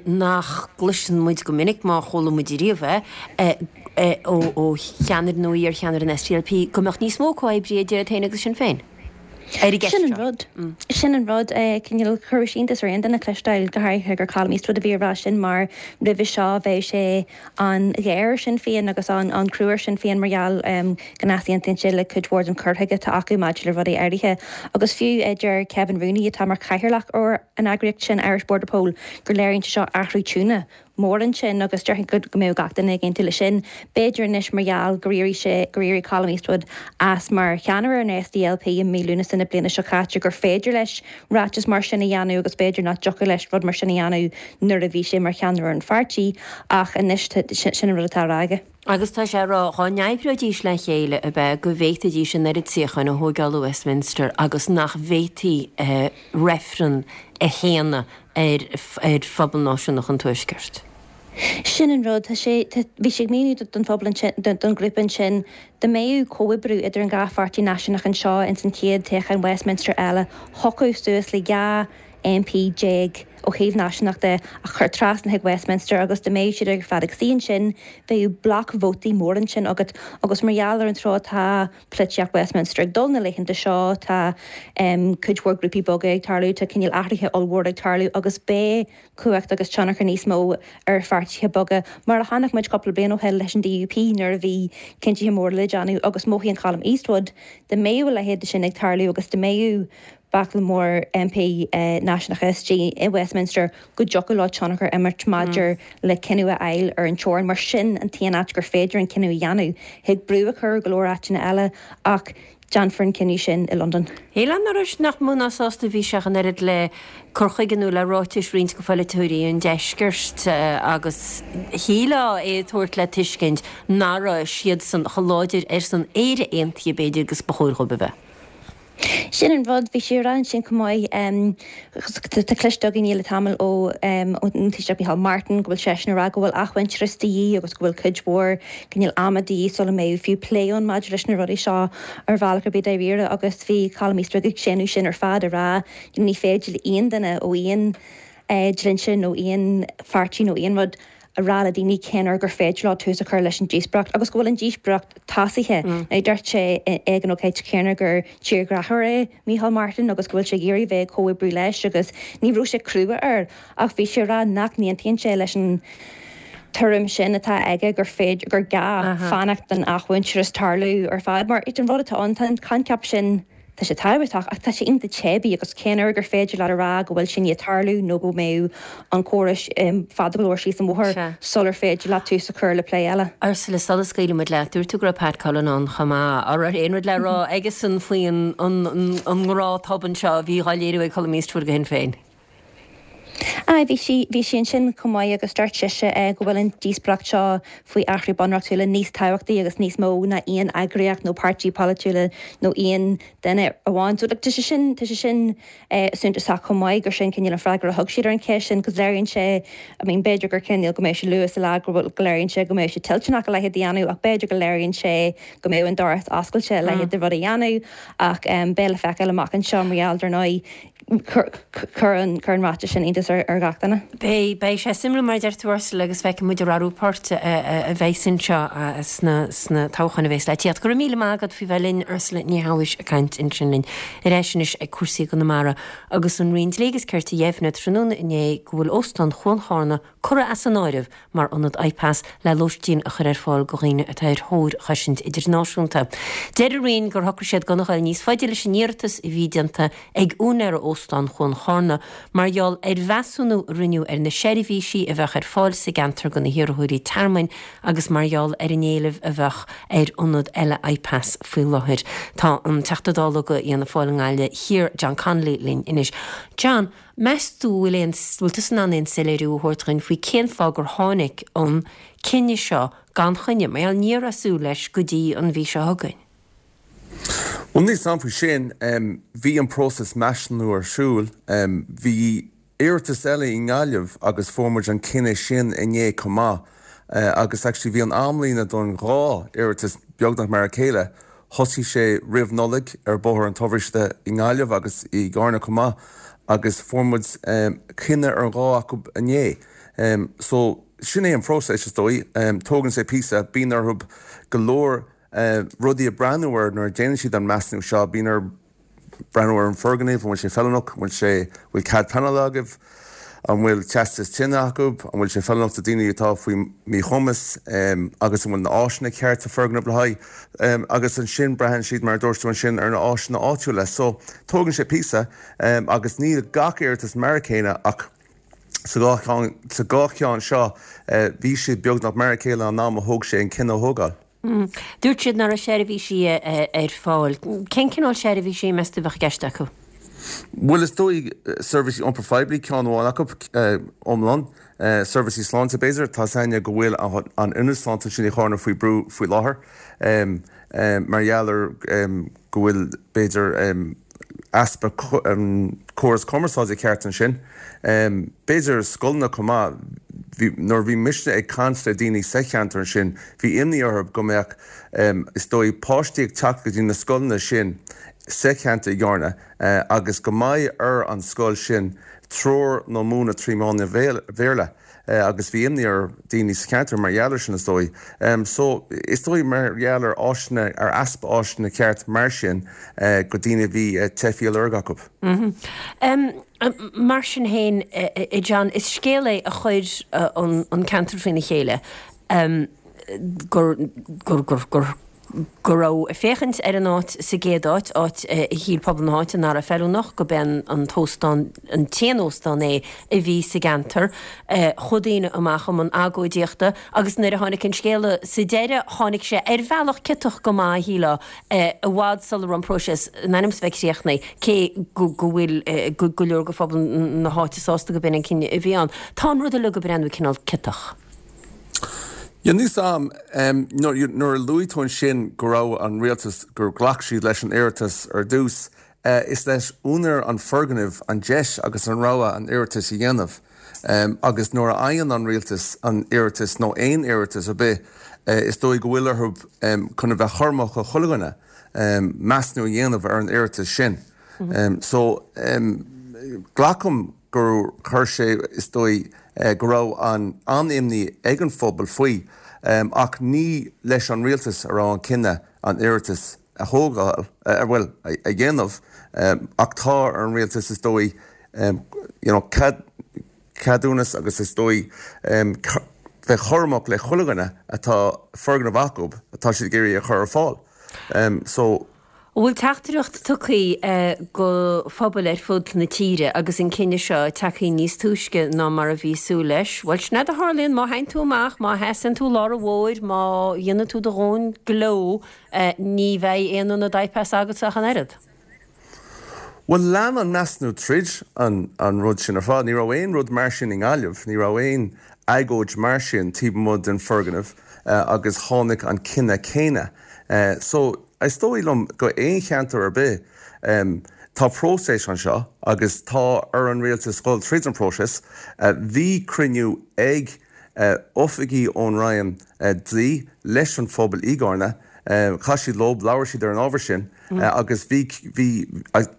nach gcloiseann muid go minic, má chuala muid ariamh é, ó cheannaire nó iar-cheannaire an SDLP, go mbeadh níos mó comhoibrithe idir iad féin agus Sinn Féin ar an gceist Sin an rud. Sin an rud. Cineál, chuirfeadh sé iontas ar aon duine cloisteáil, go háirithe gur Colum Eastwood a bhí ag rá sin, mar roimhe seo bheadh sé an-ghéar ar Shinn Féin agus an-chrua ar Shinn Féin mar gheall go n-easaontaíonn sé le cuid mhór den chur chuige atá acu maidir le rudaí áirithe. Agus fiú deir Kevin Rooney, atá mar chathaoirleach ar an eagraíocht sin, Irish Border Poll, gur léiríonn sé seo athrú tiúna mór ansin agus déarfainn go mbeadh gach duine ag aontú leis sin. B'fhéidir anois mar gheall gur éirigh sé, gur éirigh Colum Eastwood as mar cheannaire an SDLP i mí Lúnasa na bliana seo caite gur féidir leis ráiteas mar sin a dhéanamh agus b'fhéidir nach dtiocfadh leis rud mar sin a dhéanamh nuair a bhí sé mar cheannaire an pháirtí ach anois sin an rud atá á rá aige. Agus tá sé ag rá dhá n-oibreoidís le chéile ab ea go bhféadfaidís an oiread suíocháin a thóigeáil ó Westminster agus nach bhféadfaí reifreann a shéanadh ar phobal náisiúnach an Tuaiscirt. Sin an rud, tá sé, tá, bhí sé ag míniú don phobal ansin, don ghrúpa ansin, dá mbeadh comhoibriú idir an dhá pháirtí náisiúnach anseo ins an chéad toghchán Westminster eile, thiocfadh suas le 12 MP ó thaobh náisiúnach de a chur trasna chuig Westminster agus dá mbeadh siad ar fad ag suí ansin, bheadh bloc vótaí mór ansin agat agus mar gheall ar an treo atá polaitíocht Westminster ag dul na laethanta seo, tá cuid mhór grúpaí beaga ag tarlú, tá cineál athruithe ollmhóra ag tarlú agus beidh cumhacht agus tionchar níos mó ar pháirtithe beaga, mar a chonaic muid cúpla bliain ó shin leis an DUP nuair a bhí cinntithe móra le déanamh agus mothaíonn Colum Eastwood dá mbeadh a leithéid de sin ag tarlú agus dá mbeadh baicle mór MP náisiúnacha istigh i Westminster go dtiocfadh leo tionchar a imirt maidir le cinneadh a fháil ar an teorainn mar sin an t-aon áit gur féidir an cinneadh a dhéanamh. Thig brú a chur ar go leor áiteanna eile ach Déanfar an cinneadh sin i Londain. Shílfeá nach raibh, nach mó ná sásta a bhí sé ach an oiread le cur chuige nó le ráitis roinnt de pholaiteoirí an deiscirt agus shílfeá é ag tabhairt le tuiscint nach raibh siadsan chomh láidir ar son Éire aontaithe b'fhéidir agus ba chóir dhóibh a bheith. Sin an rud, bhí sé ag rá ansin chomh maith, tá cloiste againn le tamall ó ón Taoiseach Micheál Martin go bhfuil seisean ag rá go bhfuil athmhuintearas de dhíth agus go bhfuil cuid mhór cineál ama de dhíth sula mbeidh fiú plé ann maidir leis na rudaí seo ar bhealach ar bith dáiríre agus bhí Colum Eastwood ag séanadh sin ar fad ag rá ní féidir le aon duine ó aon dlínse nó aon pháirtí nó aon rud a rá le daoine cén uair gur féidir leo tús a chur leis an díospóireacht agus go bhfuil an díospóireacht tosaithe. Now dúirt sé ag an ócáid chéanna gur tírghráthóir é Micheál Martin agus go bhfuil sé ag iarraidh bheith ag comhoibriú leis agus ní raibh sé crua air ach bhí sé ag rá nach n-aontaíonn sé leis an tuairim sin atá aige gur féidir, gur gá fanacht don athmhuintearas tarlú ar fad mar an rud atá ann, tá an coincheap sin, tá sé tábhachtach ach tá sé iontach teibí agus cén uair gur féidir leat a rá go bhfuil sé i ndiaidh tarlú nó go mbeidh an comhrá fada go leor síos an bhóthar sular féidir leat tús a chur le plé eile. Ursula, sula scaoilfidh muid leat, dúirt tú go raibh Pat Cullen ann chomh maith. An raibh aon rud le rá aigesan faoin ngrá tobann seo a bhí á léiriú ag Colum Eastwood do Shinn Féin? Aye, bhí sí, bhí sí ansin chomh maith agus dúirt sise go bhfuil an díospóireacht seo faoi athrú bunreachtúla níos tábhachtaí agus níos mó ná aon eagraíocht nó páirtí polaitiúla nó aon duine amháin. So, like, tá sé sin, tá sé sin suntasach chomh maith gur sin cineál an freagra a thug siad ar an cheist sin 'cause léiríonn sé, I mean, b'fhéidir gur cineál go mbeadh sé luath sa lá go bhfuil, go léiríonn sé go mbeadh sé toilteanach a leithéid a dhéanamh ach b'fhéidir go léiríonn sé go mbeadh an doras oscailte a leithéid de rud a dhéanamh ach beidh le feiceáil amach anseo mar gheall dar ndóigh. Chuir an ráiteas sin iontas ar gach duine. Beidh, beidh sé suimiúil mar a deir tú Ursula agus feicfidh muid ar athrú poirt a bheidhs anseo sna, sna toghcháin a bhéas le tíocht. Go raibh míle maith agat faoi bheith linn Ursula Ní Shabhaois ag caint ansin linn. Ar ais anois ag cúrsaí i gConamara agus an Roinn Dlí agus Cirt a dheimhnigh tráthnóna inné go bhfuil Óstán Chuan Charna curtha as an áireamh mar ionad IPAS le lóistín a chur ar fáil go dhaoine atá ar thóir chosaint idirnáisiúnta. Deir an Roinn gur shocraigh siad gan a ghoil níos faide leis an iarratas a bhí déanta ag úinéara Óstán Chuan Charna mar gheall ar mheasúnú a rinneadh ar na seirbhísí a bheadh ar fáil sa gceantar go na hiarrthóirí tearmainn agus mar gheall ar an éileamh a bheadh ar ionad eile IPAS faoi láthair. Tá an Teachta Dála go Fhianna Fáil i nGaillimh Thiar, John Connolly linn anois. John, Meas tú bhfuil aon, bhfuil tusa in ann aon soiléiriú a thabhairt dhuinn faoi cén fáth gur tháinig an cinneadh seo gan choinne, mar gheall ní raibh súil leis go dtí an mhí seo chugainn? Bhuel, níl 's a'm faoi sin. Bhí an próiseas measúnú ar siúl. Bhí iarratas eile i nGaillimh agus fuair muid an cinneadh sin inné chomh maith. Agus actually bhí an amlíne don dhá iarratas beagnach mar a chéile. Thosaigh sé roimh Nollaig ar Bhóthar an tSobhraiste i nGaillimh agus i gCarna chomh maith agus fuair muid cinneadh ar an dhá acu inné. So sin é an phróiseas is dóigh. Tógann sé píosa, bíonn orthu go leor rudaí a breathnú air nuair a déanann siad an measúnú seo. Bíonn orthu breathnú ar an foirgneamh, an bhfuil sé feiliúnach, an bhfuil sé, bhfuil cead pleanála agaibh, an bhfuil teastas tine acu, an bhfuil sé feiliúnach do daoine atá faoi mhíchumas agus an bhfuil na áiseanna ceart sa foirgneamh le haghaidh agus ansin braitheann siad mar a dúirt tú ansin ar na áiseanna áitiúla. So tógann sé píosa agus níl gach iarratas mar a chéile ach sa dhá cheann, sa dhá cheann seo bhí siad beagnach mar a chéile an am a thóg sé an cinneadh a thógáil. Dúirt siad nach raibh seirbhísí ar fáil. Cén cineál seirbhísí, meas tú, a bheadh i gceist acu? Bhuel, is dóigh, seirbhísí iompair phoiblí, ceann amháin acu, iomlán. Seirbhísí sláinte, b'fhéidir. Tá 's a'inne go bhfuil an ionad sláinte ansin i Charna faoi brú faoi láthair mar gheall ar go bhfuil, b'fhéidir, easpa córas cumarsáide ceart ansin. B'fhéidir scoileanna chomh maith. Bhí, nuair a bhí mise ag caint le daoine sa cheantar ansin, bhí imní orthu go mbeadh, is dóigh, páistí ag teacht go dtí na scoileanna sin sa cheantar i gCarna agus go mbeidh ar an scoil sin treoir nó múineadh trí mheán an Bhéarla. agus bhí imní ar daoine sa cheantar mar gheall ar sin is dóigh. So, is dóigh mar gheall ar áiseanna, ar easpa áiseanna ceart mar sin go daoine a bhí teifí á lorg acu. Mar sin féin, a John, is scéal é a chuir an ceantar faoina chéile gur, gur, gur, gur, go raibh ag féachaint ar an áit sa gcéad áit, áit a shíl pobal na háite nach raibh feiliúnach, go b'é an t-óstán, an t-aon óstán é a bhí sa gceantar. Chuaigh daoine amach i mbun agóidíochta agus nuair a tháinig an scéala sa deireadh, tháinig sé ar bhealach ciotach go maith, shílfeá, i bhfad sula raibh an próiseas in ainm is a bheith críochnaithe, cé go bhfuil go leor de phobal na háite sásta go b'in an cinneadh a bhí ann. Tá an rud uilig ag breathnú cineál ciotach. Yeah, níl 's a'm, nuair a luaigh tú ansin go raibh an rialtas, gur ghlac siad leis an iarratas ar dtús, is leis úinéir an foirgnimh an deis agus an rogha an iarratas a dhéanamh. Agus nuair a fhaigheann an rialtas an iarratas nó aon iarratas ar bith, is dóigh go bhfuil orthu chun a bheith cúramach do chuile dhuine, measúnú a dhéanamh ar an iarratas sin. So, glacaim gur chuir sé, is dóigh, go raibh an-imní ag an phobal faoi, ach ní leis an rialtas a raibh an cinneadh an iarratas a thógáil, bhuel, a dhéanamh, ach tá ar an rialtas, is dóigh, you know, cead, ceadúnas agus is dóigh bheith cúramach le chuile dhuine atá foirgneamh acu atá siad ag iarraidh a chur ar fáil. So. An bhfuil teachtaireacht tugtha go phobail ar fud na tíre agus an cinneadh seo tagtha níos túisce ná mar a bhí súil leis? Bhuel, sin é a tharlaíonn má théann tú amach, má sheasann tú lár an bhóthair, má dhéanann tú do dhóthain gleo, ní bheidh aon ionad IPAS agatsa ach an oiread. Bhuel, lean an measúnú tríd an rud sin ar fad. Ní raibh aon rud mar sin i nGaillimh, ní raibh aon agóid mar sin taobh amuigh den foirgneamh agus tháinig an cinneadh céanna. So, Is dóigh liom go aon cheantar ar bith, tá próiseas anseo agus tá ar an rialtas dhul tríd an próiseas. Bhí cruinniú ag oifigigh ón Roinn Dlí leis an phobal i gCarna. Chas siad leo, labhair siad ar an ábhar sin agus bhí, bhí,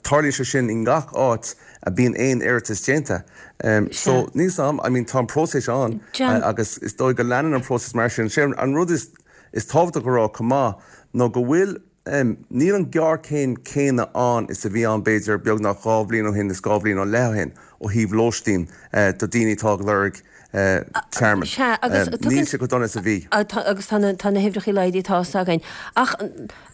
tarlaíonn sé sin i ngach áit a bíonn aon iarratas déanta. So níl 's a'm, I mean tá an próiseas ann agus is dóigh go leanann an próiseas mar sin. Sé an rud is, is tábhachtach a rá chomh maith ná go bhfuil, níl an ghéarchéim céanna ann is a bhí ann b'fhéidir beagnach 2 bhliain ó shin is 2 bhliain ó leith ó shin ó thaobh lóistín do daoine atá ag lorg tearmann. Sea, agus Níl sé chomh dona is a bhí. Agus tá na huimhreacha laghdaithe tá 'fhios againn. Ach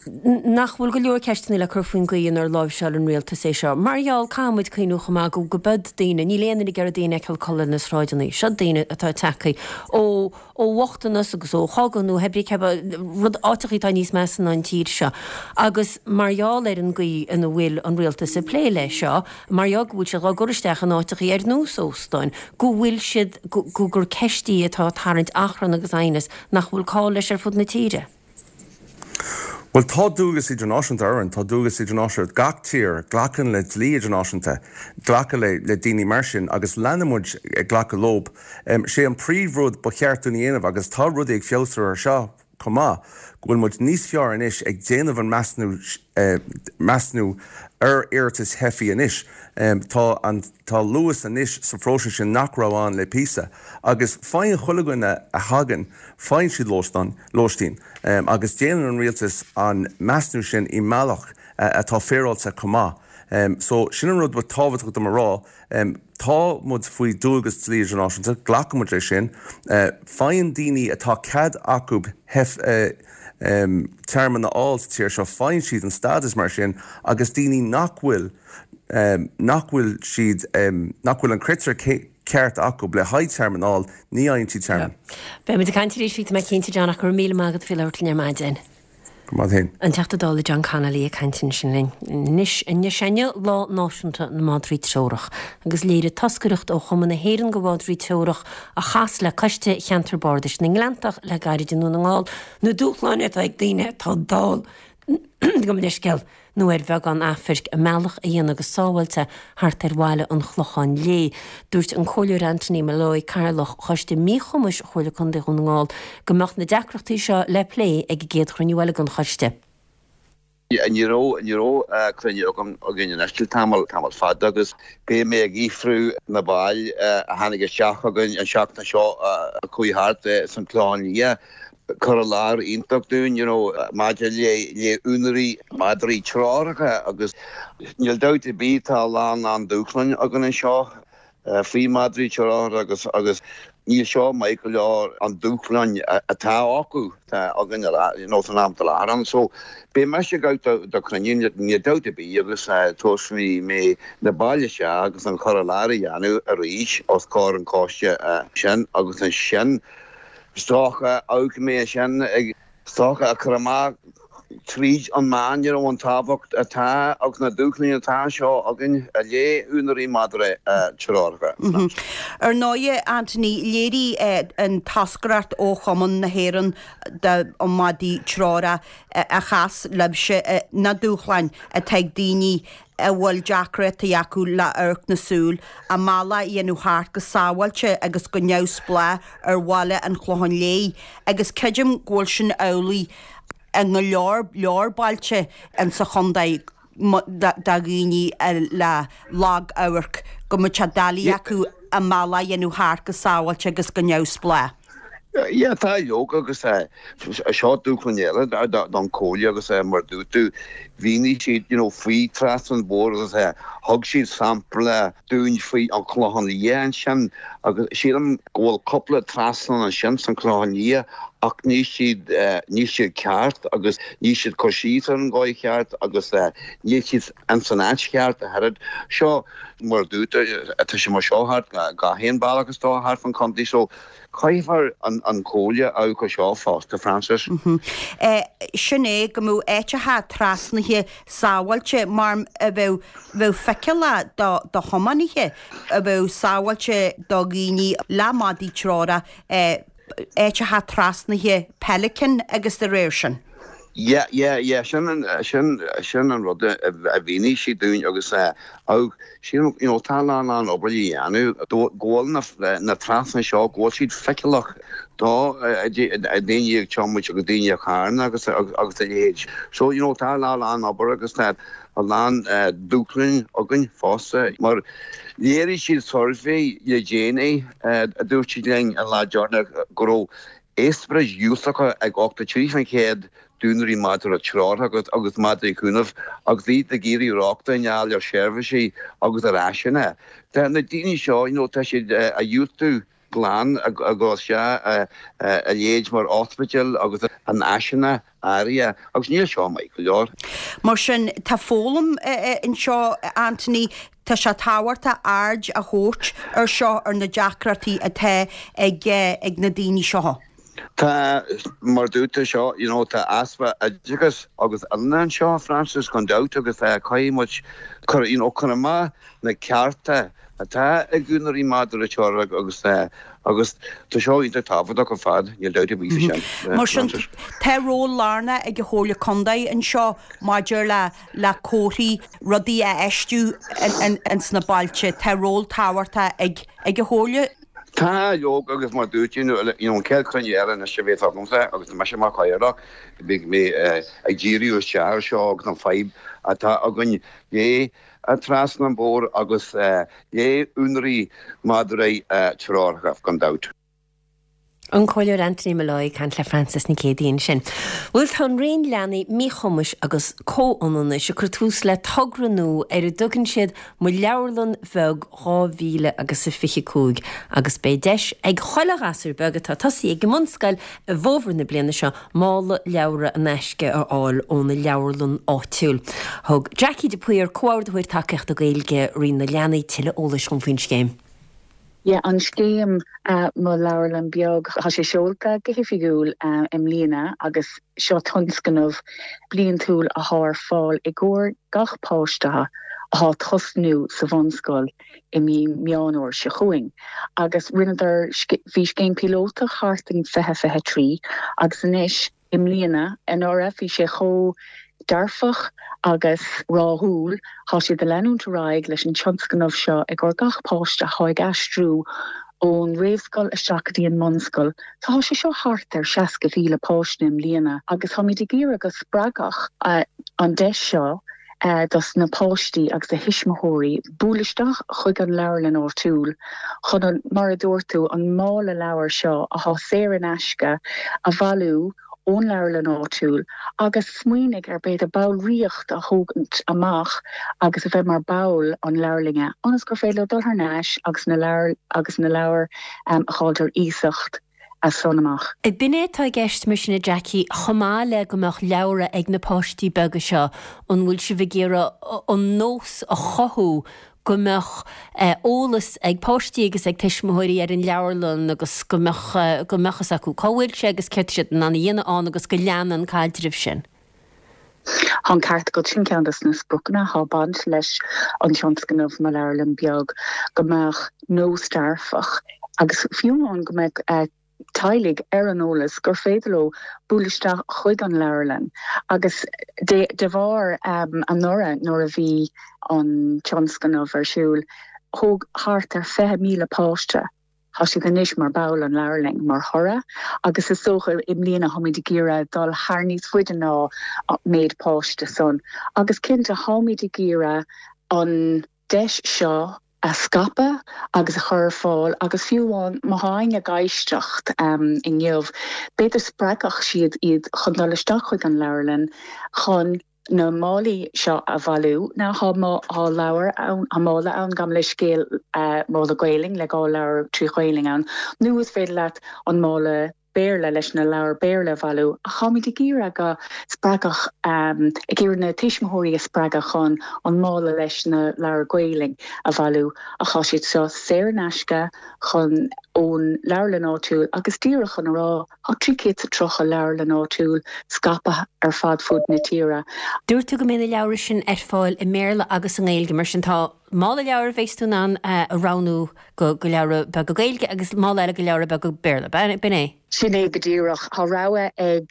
nach bhfuil go leor ceisteanna le cur faoin gcaoi inar láimhseáil an rialtas é seo? Mar gheall, caithfidh muid cuimhniú chomh maith go mbeadh daoine, níl aon duine ag iarraidh daoine a fheiceáil ag codladh ar na sráideanna. Seo daoine atá tagtha ó ó bhochtanas agus ó chogadh nó hé brí cé rud áiteachaí atá níos measa ná an tír seo. Agus mar gheall ar an gcaoi ina bhfuil an rialtas ag plé leis seo, mar gheall go bhfuil siad á gcur isteach in áiteachaí ar nós óstáin, go bhfuil siad, go, gur ceist í atá ag tarraingt achrann agus aighneas nach bhfuil call leis ar fud na tíre. Bhuel, tá dualgas idirnáisiúnta orainn, tá dualgas idirnáisiúnta ar gach tír a ghlacann le dlí idirnáisiúnta, glacadh le le daoine mar sin agus leanann muid ag glacadh leob. Sé an príomhrud ba cheart dúinn a dhéanamh, agus tá rudaí ag feabhsú ar seo chomh maith, go bhfuil muid níos fearr anois ag déanamh an measnú measnú ar iarratais theifigh anois. Tá an tá luas anois sa phróiseas sin nach raibh ann le píosa agus faigheann chuile dhuine a thagann, faigheann siad lóistán, lóistín agus déanann an rialtas an measnú sin i mbealach atá féaráilte chomh maith. So sin an rud ba tábhachtach dom a rá. Tá muid faoi dualgas dlí idirnáisiúnta, glacann muid leis sin. Faigheann daoine atá cead acu tearmann a fháil sa tír seo, faigheann siad an stádas mar sin agus daoine nach bhfuil, nach bhfuil siad, nach bhfuil an critéar ceart acu le haghaidh tearmann a fháil, ní fhaigheann siad tearmann. Beidh muid ag caint arís faoi, tá mé cinnte, John, ach go raibh míle maith agat faoi labhairt linn ar maidin. Go raibh maith agat féin. An Teachta Dála John Connolly ag caint ansin linn. Anois, inniu sé inniu Lá Náisiúnta na Madraí Treorach agus léirigh toscaireacht ó Chumann na hÉireann do Mhadraí Treorach a chas le Coiste Cheantar Bardais na nGleanntach le gairid i nDún na nGall na dúshláin atá ag daoine atá dall, gabh mo leithscéal. nó ar bheagán amhairc, a mbealach a dhéanamh go sábháilte thart ar bhaile an Chlocháin Léith. Dúirt an Comhairleoir Anthony Molloy, Cathaoirleach Choiste Míchumais Chomhairle Contae Dhún na nGall, go mbeadh na deacrachtaí seo le plé ag an gcéad chruinniú eile den choiste. Ní raibh, ní raibh cruinniú agam, againn anois le tamall, tamall fada agus beidh mé ag fhiafrú na baill a tháinig isteach chugainn an seachtain seo a chuaigh thart san Clochán Liath. cur i láthair iontach dúinn you know maidir le le úinéirí madraí treoracha agus níl dabht ar bith tá a lán lán dúshláin againn anseo faoi madraí treoracha agus agus níl seo maith go leor an dúshláin atá acu atá againn you know san am atá i láthair ann so beidh mise ag gabháil do chruinniú níl dabht ar bith agus tabharfaidh mé na baill isteach agus an cur i láthair a dhéanamh arís os comhair an choiste sin agus ansin Is dócha, amharcfaidh mé ansin ag, is dócha, a chur amach tríd an meán, you know, an tábhacht atá agus na dúshláin atá anseo againn i leith úinéirí madra treoracha. Ar ndóighe, Anthony, léirigh an toscaireacht ó Chumann na hÉireann do Mhadaí Treorach a chas libhse na dúshláin atá ag daoine a bhfuil deacrachtaí acu le amharc na súl, a mbealach a dhéanamh thart go sábháilte agus go neamhspleách ar bhaile an Chlocháin Léith agus creidim go bhfuil sin amhlaidh i ngo leor leor bailte insa chontae do dhaoine le lag-amharc, go mbeadh sé doiligh acu a mbealach a dhéanamh thart go sábháilte agus go neamhspleách. Yeah, tá leoga agus seo dúshlán eile don Chomhairle agus mar dúirt tú, mhínigh siad you know faoi trasna an bhóthair agus thug siad sampla dúinn faoi an Chlochán Liath ansin agus sílim go bhfuil cúpla trasnán ansin san Chlochán Liath ach níl siad níl siad ceart agus níl siad cur síos ar an dhóigh cheart agus níl siad ins an áit cheart a oiread. Seo mar dúirt tú, tá sé mar seo thart gach aon bealach is dócha thart fan chontae so Caithfear an Chomhairle a amharc air seo fosta, Frances. Sin é, go mbeadh áiteacha trasnaithe sábháilte mar a bheadh bheadh feiceálach do do thiománaithe, a bheadh sábháilte do dhaoine le madaí treorach, áiteacha trasnaithe Pelican agus dá réir sin. Yeah, yeah, yeah, sin an, sin, sin an rud a mhínigh siad dúinn agus eh, sílim, you know, tá a lán, lán obair le dhéanamh, go bhfuil na, na trasnáin seo, go bhfuil siad feiceálach do daoine ag tiomáint agus daoine i carranna agus, agus a leithéid. So, you know, tá a lán, lán obair agus tá a lán dúshláin againn fosta mar léirigh siad suirbhé le déanaí, a dúirt siad linn an lá deireanach go raibh Eispéiris dhiúltacha ag 83% d'úinéirí madra treoracha agus madraí cúnaimh agus iad ag iarraidh rochtain a fháil ar sheirbhísí agus ar áiseanna. Tá na daoine seo, you know, tá siad a dhiúltú glan a dhul isteach a leithéid mar ospidéal agus in áiseanna áirithe agus níl seo maith go leor. Mar sin, tá foghlaim anseo, Anthony, tá sé tábhachtach aird a thabhairt ar seo, ar na deacrachtaí atá ag ag na daoine seo. Tá, mar dúirt tú seo, you know, tá easpa oideachais agus oiliúna anseo, Francis, gan dabht, agus caithfidh muid cur, you know, cur amach na cearta atá ag úinéirí madra treorach agus agus tá seo iontach tábhachtach ar fad, níl dabht ar bith faoi sin. Mar sin, tá ról lárnach ag an Chomhairle Contae anseo maidir le le comharthaí, rudaí a fheistiú ins na bailte. Tá ról tábhachtach ag ag an Chomhairle. Tá, leoga, agus mar dúirt tú, you know, an chéad chruinniú eile anois a bheas agamsa agus tá mise mar chathaoirleach, beidh mé ag díriú isteach ar seo agus an fadhb atá againn le trasna an bhóthair agus le úinéirí madraí treoracha, gan dabht. An Comhairleoir Anthony Molloy ag caint le Frances Nic Géadaigh ansin. Bhuel, tá an Roinn Leanaí, Míchumais agus Comhionannais ag cur tús le togra nua ar a dtugann siad Mo Leabharlann Bheag 2000 agus a 25 agus beidh deis ag chuile ghasúr beag atá tosaithe ag an mbunscoil i bhfómhar na bliana seo mála leabhra in aisce a fháil óna leabharlann áitiúil. Thug Jackie de Paor, Comhordaitheoir Tacaíochta Gaeilge Roinn na Leanaí, tuilleadh eolais dhom faoin scéim. Yeah, an scéim Mo Leabharlann Beag, tá sé seolta go hoifigiúil i mbliana agus seo tionscnamh bliantúil athá ar fáil i gcomhair gach páiste athá tosnú sa bhunscoil i mí Meán Fhómhair seo chugainn agus rinneadar, bhí scéim píolótach thart in 2023 agus anois i mbliana, anuraidh, bhí sé chomh dearfach agus ráthúil, tá siad ag leanúint ar aghaidh leis an tionscnamh seo i gcomhair gach páiste athá ag aistriú ón réamhscoil isteach go dtí an mbunscoil. Tá sé seo thart ar 60,000 páiste i mbliana agus táimid ag iarraidh go spreagfadh an deis seo dos na páistí agus a thuismitheoirí bualadh isteach chuig an leabharlann áitiúil chun an, mar a dúirt tú, an mála leabhar seo athá saor in aisce a bhailiú ón leabharlann áitiúil agus smaoinigh ar b'fhéidir ballraíocht a thógaint amach agus a bheith mar ball an leabharlainne ionas gur féidir leo dul thar n-ais agus na leabhair agus na leabhair a fháilt ar iasacht as san amach. B'in é atá i gceist mar sin a Jackie, chomh maith le go mbeadh leabhra ag na páistí beaga seo, an bhfuil sibh ag iarraidh an nós a chothú go mbeadh eolas ag páistí agus ag tuismitheoirí ar an leabharlann agus go mbeadh go mbeadh fhios acu cá bhfuil sé agus céard tá siad in ann a dhéanamh ann agus go leanann an caidreamh sin. Tá an ceart agat, sin ceann dos na spriocanna athá ag baint leis an tionscnamh Mo Leabharlann Beag, go mbeadh nós dearfach agus fiú amháin go mbeadh teaghlaigh ar an eolas gur féidir leo bualadh isteach chuig an leabharlann agus de bharr anuraidh nuair a bhí an tionscnamh ar siúl thóg thart ar 20,000 páiste Tá siad anois mar ball an leabharlainn mar thoradh agus is dócha i mbliana táimid ag iarraidh dul thar níos faide ná méid páiste san agus cinnte táimid ag iarraidh an deis seo a scaipeadh agus a chur ar fáil agus fiú amháin má thá éinne ag éisteacht inniu b'fhéidir spreagfadh siad iad chun dul isteach chuig an leabharlann chun na málaí seo a bhailiú. Now thá thá leabhar ann, thá mála ann, gabh mo leithscéal, mála Gaelainn le 2 leabhar 3 Ghaelainn ann, nó is féidir leat an mála Béarla leis na leabhair Béarla a bhailiú. Ach táimid ag iarraidh go spreagfadh, ag iarraidh na tuismitheoirí a spreagadh chun an mála leis na leabhair Gaelainn a bhailiú. Ach tá siad seo saor in aisce chun ón leabharlann áitiúil agus díreach chun a rá, Tá 330 leabharlann áitiúil scaipthe ar fad fud na tíre. Dúirt tú go mbeidh na leabhra sin ar fáil i mBéarla agus i nGaeilge, mar sin tá mála leabhar a bheas tú in ann a roghnú go leabhra beaga Gaeilge agus mála eile go leabhra beaga Béarla, b'in é? Sin é go díreach. Tá rogha ag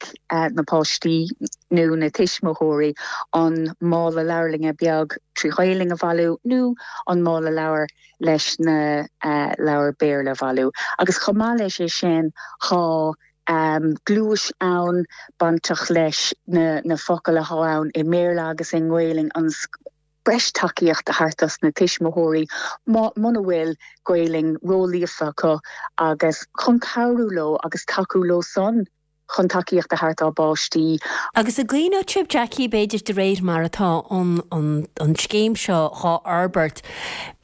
na páistí. nó na tuismitheoirí an mála leabharlainne beag trí Ghaelainn a bhailiú nó an mála leabhar leis na leabhair Béarla a bhailiú. Agus chomh maith leis é sin tá gluais ann bainteach leis na focail athá ann i mBéarla agus i nGaelainn ionas breis tacaíocht a thabhairt dos na tuismitheoirí muna bhfuil Gaelainn ró-líofa acu agus chun cabhrú leo agus tacú leo san chun tacaíocht a thabhairt dá bpáistí. Agus an gcuimhneoidh sibh, Jackie, b'fhéidir de réir mar atá an an scéim seo dhá fhorbairt,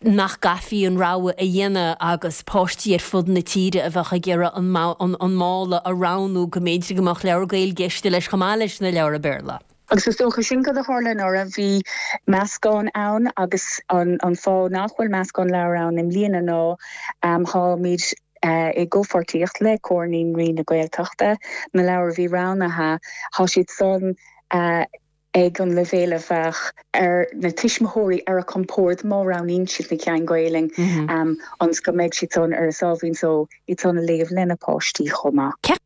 nach gcaithfí an rogha a dhéanamh agus páistí ar fud na tíre a bheadh ag iarraidh an an mála a roghnú go mb'fhéidir go mbeadh leabhar Gaeilge istigh leis chomh maith leis na leabhra Béarla. Agus is dócha sin cad a tharla anuraidh, bhí meascán ann agus an fáth nach bhfuil meascán leabhar ann i mbliana ná táimid i gcomhpháirtíocht le Comhar Naíonraí na Gaeltachta, na leabhair a bhí roghnaithe, tá siad san ag an leibhéal a bheadh ar na tuismitheoirí ar a compord má roghnaíonn siad na ceann Gaelainn ionas go mbeidh siad san ar a sáimhín só iad san a léamh lena páistí chomh maith.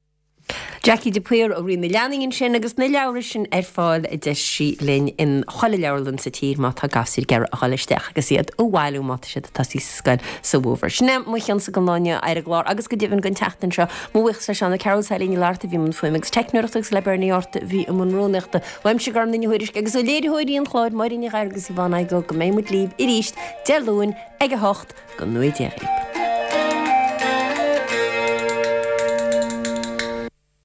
Jackie de Paor ó Roinn na Leanaí ansin agus na leabhra sin ar fáil a deir sí linn in chuile leabharlann sa tír má tá gasúir ag iarraidh a dhul isteach agus iad a bhailiú má tá siad ag tosaí sa scoil sa bhfómhar. Sin é mo chionnsa don lá inniu ar an gclár agus go deimhin don tseachtain seo. Mo bhuíochas le Seán Ó Cearúil is Eilín Ní Fhlatharta a bhí i mbun fuaime agus teicneoireachta agus le Bernie Art a bhí i mbun rúnaíochta. Uaimse Gormfhlaith Ní Thuairisg agus ó léiritheoirí an chláir Máire Ní Ghadhra agus Yvonne Igoe go mbeidh muid libh arís Dé Luain ag 8 go ngnóthaí Dia dhaoibh.